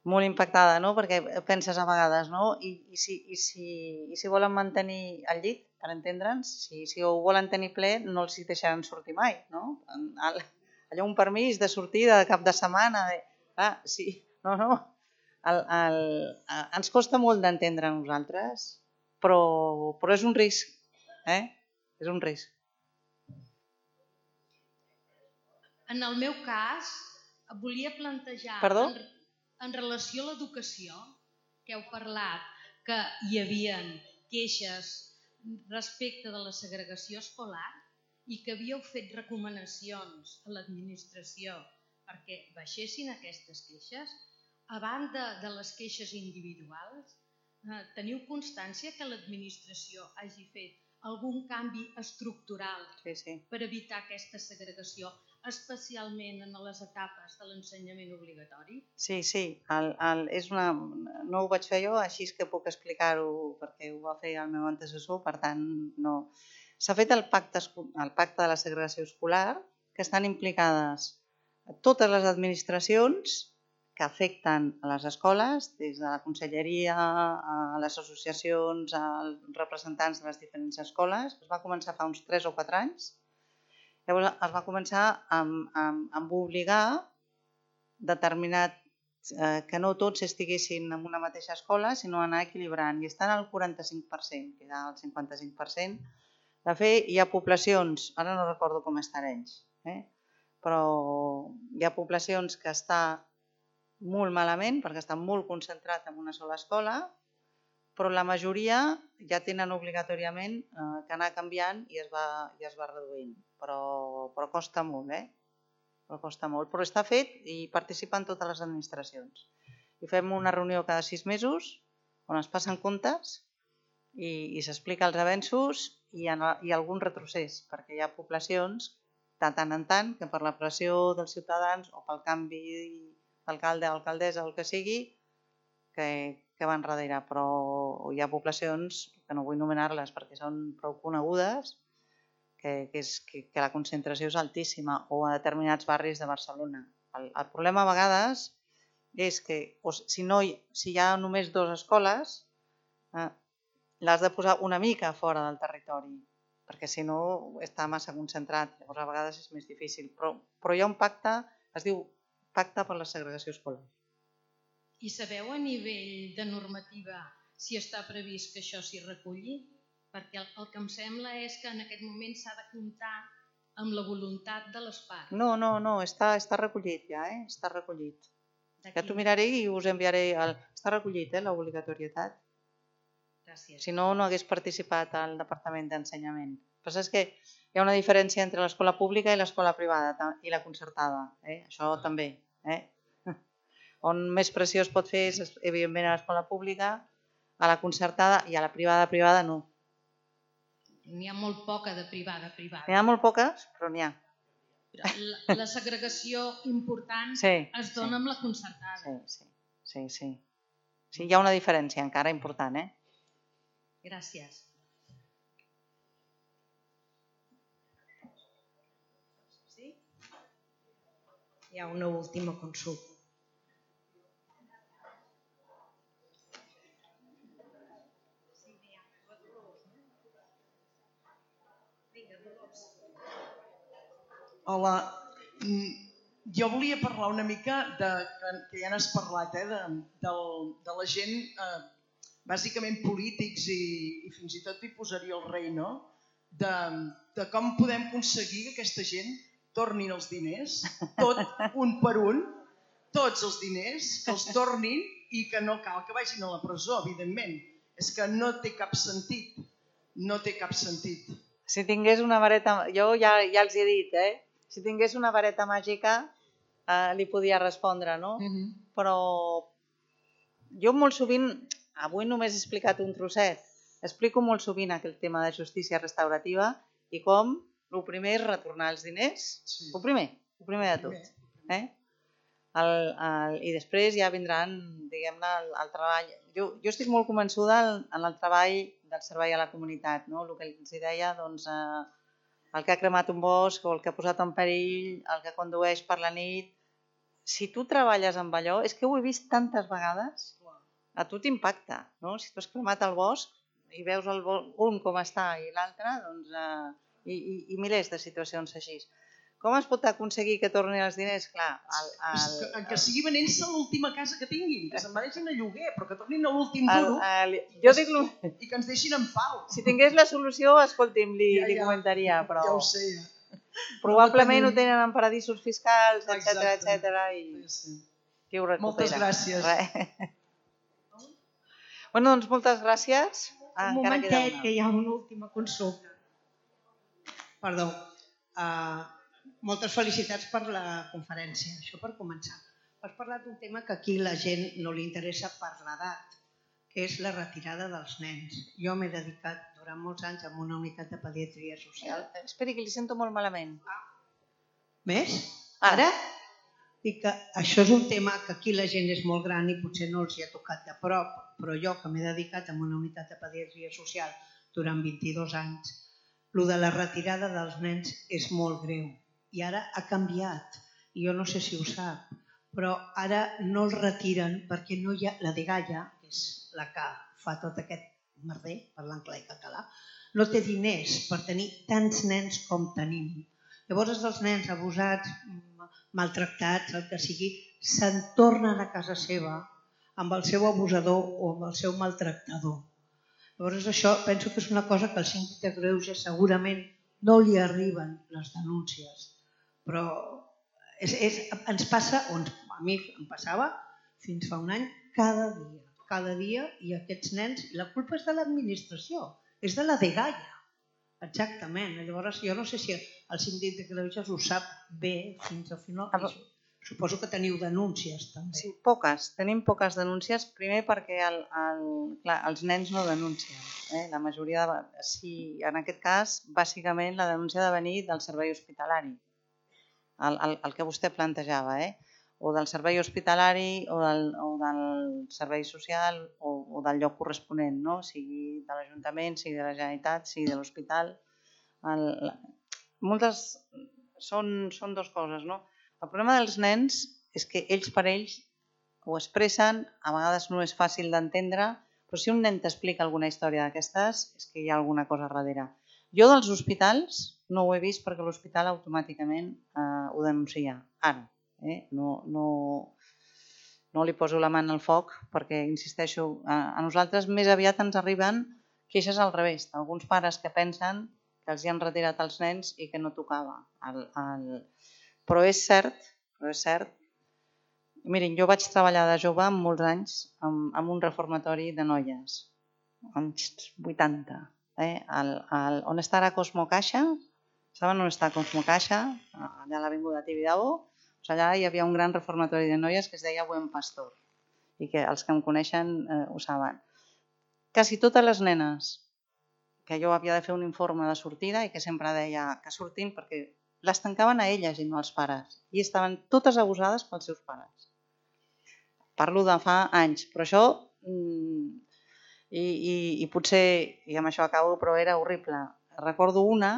molt impactada, no? Perquè penses a vegades, no? I, i, si, i, si, i si volen mantenir el llit, per entendre'ns, si, si ho volen tenir ple, no els hi deixaran sortir mai, no? Allò un permís de sortida de cap de setmana, de... ah, sí, no, no. El, el, ens costa molt d'entendre a nosaltres, però, però és un risc, eh? És un risc. En el meu cas, volia plantejar... Perdó? En, en relació a l'educació, que heu parlat, que hi havia queixes respecte de la segregació escolar i que havíeu fet recomanacions a l'administració perquè baixessin aquestes queixes, a banda de les queixes individuals, teniu constància que l'administració hagi fet algun canvi estructural sí, sí. per evitar aquesta segregació, especialment en les etapes de l'ensenyament obligatori? Sí, sí. El, el, és una... No ho vaig fer jo, així que puc explicar-ho perquè ho va fer el meu antecessor, per tant, no. S'ha fet el pacte, el pacte de la segregació escolar, que estan implicades totes les administracions que afecten a les escoles, des de la conselleria, a les associacions, als representants de les diferents escoles. Es va començar fa uns tres o quatre anys. Llavors es va començar amb, amb, amb obligar determinat, eh, que no tots estiguessin en una mateixa escola, sinó anar equilibrant. I estan al quaranta-cinc per cent, que al cinquanta-cinc per cent. De fet, hi ha poblacions, ara no recordo com estan ells, eh? però hi ha poblacions que està molt malament perquè està molt concentrat en una sola escola, però la majoria ja tenen obligatòriament eh, que anar canviant i es va, i es va reduint. Però, però costa molt, eh? Però costa molt. Però està fet i participen totes les administracions. I fem una reunió cada sis mesos on es passen comptes i, i s'explica els avenços i, en, i algun retrocés, perquè hi ha poblacions de tant en tant que per la pressió dels ciutadans o pel canvi d'alcalde o alcaldessa o el que sigui, que, que van darrere. Però hi ha poblacions, que no vull nomenar-les perquè són prou conegudes, que, que, és, que, que la concentració és altíssima, o a determinats barris de Barcelona. El, el problema a vegades és que o, si, no, si hi ha només dues escoles, eh, l'has de posar una mica fora del territori, perquè si no està massa concentrat, llavors a vegades és més difícil. Però, però hi ha un pacte, es diu Pacte per la Segregació Escolar. I sabeu a nivell de normativa si està previst que això s'hi reculli? Perquè el, el que em sembla és que en aquest moment s'ha de comptar amb la voluntat de les parts. No, no, no, està, està recollit ja, eh? Està recollit. Ja t'ho miraré i us enviaré... El... Està recollit, eh, l'obligatorietat. Gràcies. Si no, no hagués participat al Departament d'Ensenyament. El que passa és que hi ha una diferència entre l'escola pública i l'escola privada i la concertada. Eh? Això també. Eh? On més pressió es pot fer és, evidentment, a l'escola pública, a la concertada i a la privada privada no. N'hi ha molt poca de privada privada. N'hi ha molt poques, però n'hi ha. La, la segregació important sí, es dona sí. amb la concertada. Sí, sí, sí, sí. Sí, hi ha una diferència encara important, eh? Gràcies. Sí? Hi ha una última consulta. Hola, jo volia parlar una mica, de, que ja n'has parlat, eh, de, de, de la gent, eh, bàsicament polítics i, i fins i tot hi posaria el rei, no? De, de com podem aconseguir que aquesta gent tornin els diners, tot un per un, tots els diners, que els tornin i que no cal que vagin a la presó, evidentment. És que no té cap sentit, no té cap sentit. Si tingués una vareta, jo ja, ja els he dit, eh? Si tingués una vareta màgica, eh, li podia respondre, no? Uh-huh. Però jo molt sovint, avui només he explicat un trosset, explico molt sovint aquell tema de justícia restaurativa i com el primer és retornar els diners, sí. el primer, el primer de tot. Eh? El, el, I després ja vindran, diguem-ne, el, el treball. Jo, jo estic molt convençuda en, en el treball del servei a la comunitat, no? El que els deia, doncs, eh, el que ha cremat un bosc o el que ha posat en perill, el que condueix per la nit. Si tu treballes amb allò, és que ho he vist tantes vegades, a tu t'impacta, no? Si tu has cremat el bosc i veus el bosc, un com està i l'altre, doncs, eh, i, i, i milers de situacions així. Com es pot aconseguir que tornin els diners? Clar, el, el, que, que sigui venent-se l'última casa que tinguin, que se'n deixin a lloguer, però que tornin a l'últim duro el, el, jo dic, i que ens deixin en pau. Si tingués la solució, escolti'm, li, ja, ja, li comentaria, però ja ho sé, ja. Probablement ho tenen en paradisos fiscals, etcètera, etcètera, i sí. qui ho recupera. Moltes gràcies. Bueno, doncs moltes gràcies. Un momentet, que hi ha una última consulta. Perdó. Uh, moltes felicitats per la conferència, això per començar. Has parlat d'un tema que aquí la gent no li interessa per l'edat, que és la retirada dels nens. Jo m'he dedicat durant molts anys a una unitat de pediatria social. Eh, esperi, que li sento molt malament. Ah. Més? Ara? Dic que això és un tema que aquí la gent és molt gran i potser no els hi ha tocat de prop, però jo que m'he dedicat a una unitat de pediatria social durant vint-i-dos anys, el de la retirada dels nens és molt greu. I ara ha canviat, i jo no sé si ho sap, però ara no el retiren perquè no hi ha la dgaia, que és la que fa tot aquest merder, parlant clar i català, no té diners per tenir tants nens com tenim. Llavors els nens abusats, maltractats, el que sigui, se'n tornen a casa seva amb el seu abusador o amb el seu maltractador. Llavors això penso que és una cosa que al síndic de Greuges segurament no li arriben les denúncies, però és, és, ens passa, o ens, a mi em passava fins fa un any, cada dia, cada dia, i aquests nens, la culpa és de l'administració, és de la dgaia, exactament. Llavors jo no sé si el síndic de Greuges ho sap bé fins al final. Suposo que teniu denúncies també. Sí, poques. Tenim poques denúncies, primer perquè el, el, clar, els nens no denuncien. Eh? La majoria de, sí, en aquest cas, bàsicament la denúncia ha de venir del servei hospitalari, el, el, el que vostè plantejava, eh? O del servei hospitalari o del, o del servei social o, o del lloc corresponent, no? Sigui de l'Ajuntament, sigui de la Generalitat, sigui de l'hospital. Moltes són, són dues coses, no? El problema dels nens és que ells per ells ho expressen, a vegades no és fàcil d'entendre, però si un nen t'explica alguna història d'aquestes és que hi ha alguna cosa darrere. Jo dels hospitals no ho he vist perquè l'hospital automàticament eh, ho denuncia, ara. Eh? No, no, no li poso la mà en el foc perquè, insisteixo, a, a nosaltres més aviat ens arriben queixes al revés, alguns pares que pensen que els hi han retirat els nens i que no tocava el... el Però és cert, però és cert. Mirin, jo vaig treballar de jove molts anys en un reformatori de noies, anys vuitanta. Eh? El, el, on està ara Cosmo Caixa? Saben on està Cosmo Caixa? Allà a l'avinguda Tibidabo. Pues allà hi havia un gran reformatori de noies que es deia Buen Pastor i que els que em coneixen eh, ho saben. Quasi totes les nenes que jo havia de fer un informe de sortida i que sempre deia que surtin perquè les tancaven a elles i no als pares. I estaven totes abusades pels seus pares. Parlo de fa anys, però això, i, i, i potser, i amb això acabo, però era horrible. Recordo una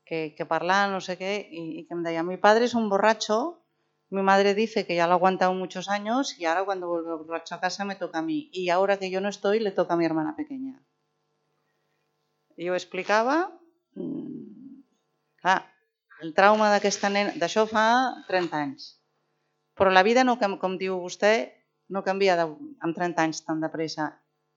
que, que parlava no sé què i, i que em deia: mi padre es un borracho, mi madre dice que ya lo ha aguantado muchos años y ahora cuando vuelve borracho a casa me toca a mí. Y ahora que yo no estoy, le toca a mi hermana pequeña. I ho explicava... Clar, el trauma d'aquesta nena, d'això fa trenta anys. Però la vida, no, com diu vostè, no canvia de, amb trenta anys tan de pressa.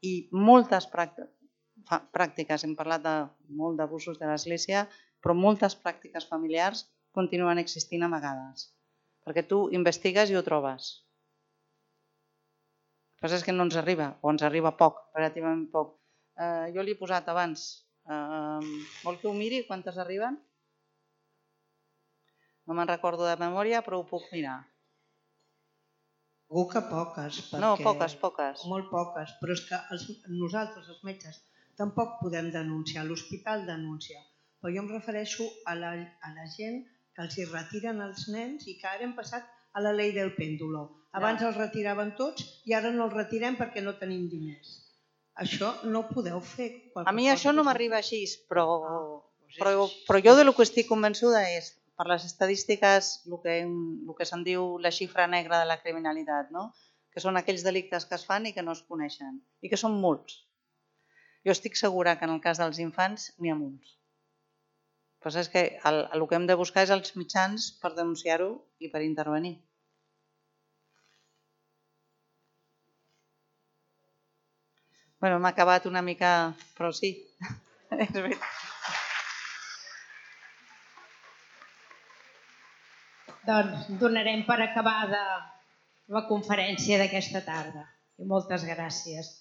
I moltes pràctiques, hem parlat de molt d'abusos de l'Església, però moltes pràctiques familiars continuen existint amagades. Perquè tu investigues i ho trobes. El que passa és que no ens arriba, o ens arriba poc, relativament poc. Eh, jo li he posat abans, eh, vol que ho miri quantes arriben? No me'n recordo de memòria, però ho puc mirar. Segur que poques. Perquè... No, poques, poques. Molt poques, però és que els, nosaltres, els metges, tampoc podem denunciar. L'hospital denuncia. Però jo em refereixo a la, a la gent que els hi retiren els nens i que ara hem passat a la llei del pèndulo. Abans els retiraven tots i ara no els retirem perquè no tenim diners. Això no ho podeu fer. A mi això no m'arriba així, però, però, però jo de lo que estic convençuda és per les estadístiques, el que, el que se'n diu la xifra negra de la criminalitat, no? Que són aquells delictes que es fan i que no es coneixen, i que són molts. Jo estic segura que en el cas dels infants n'hi ha molts. El que passa és que el, el que hem de buscar és els mitjans per denunciar-ho i per intervenir. Bueno, m'ha acabat una mica, però sí, és veritat. Doncs donarem per acabada la conferència d'aquesta tarda. I moltes gràcies.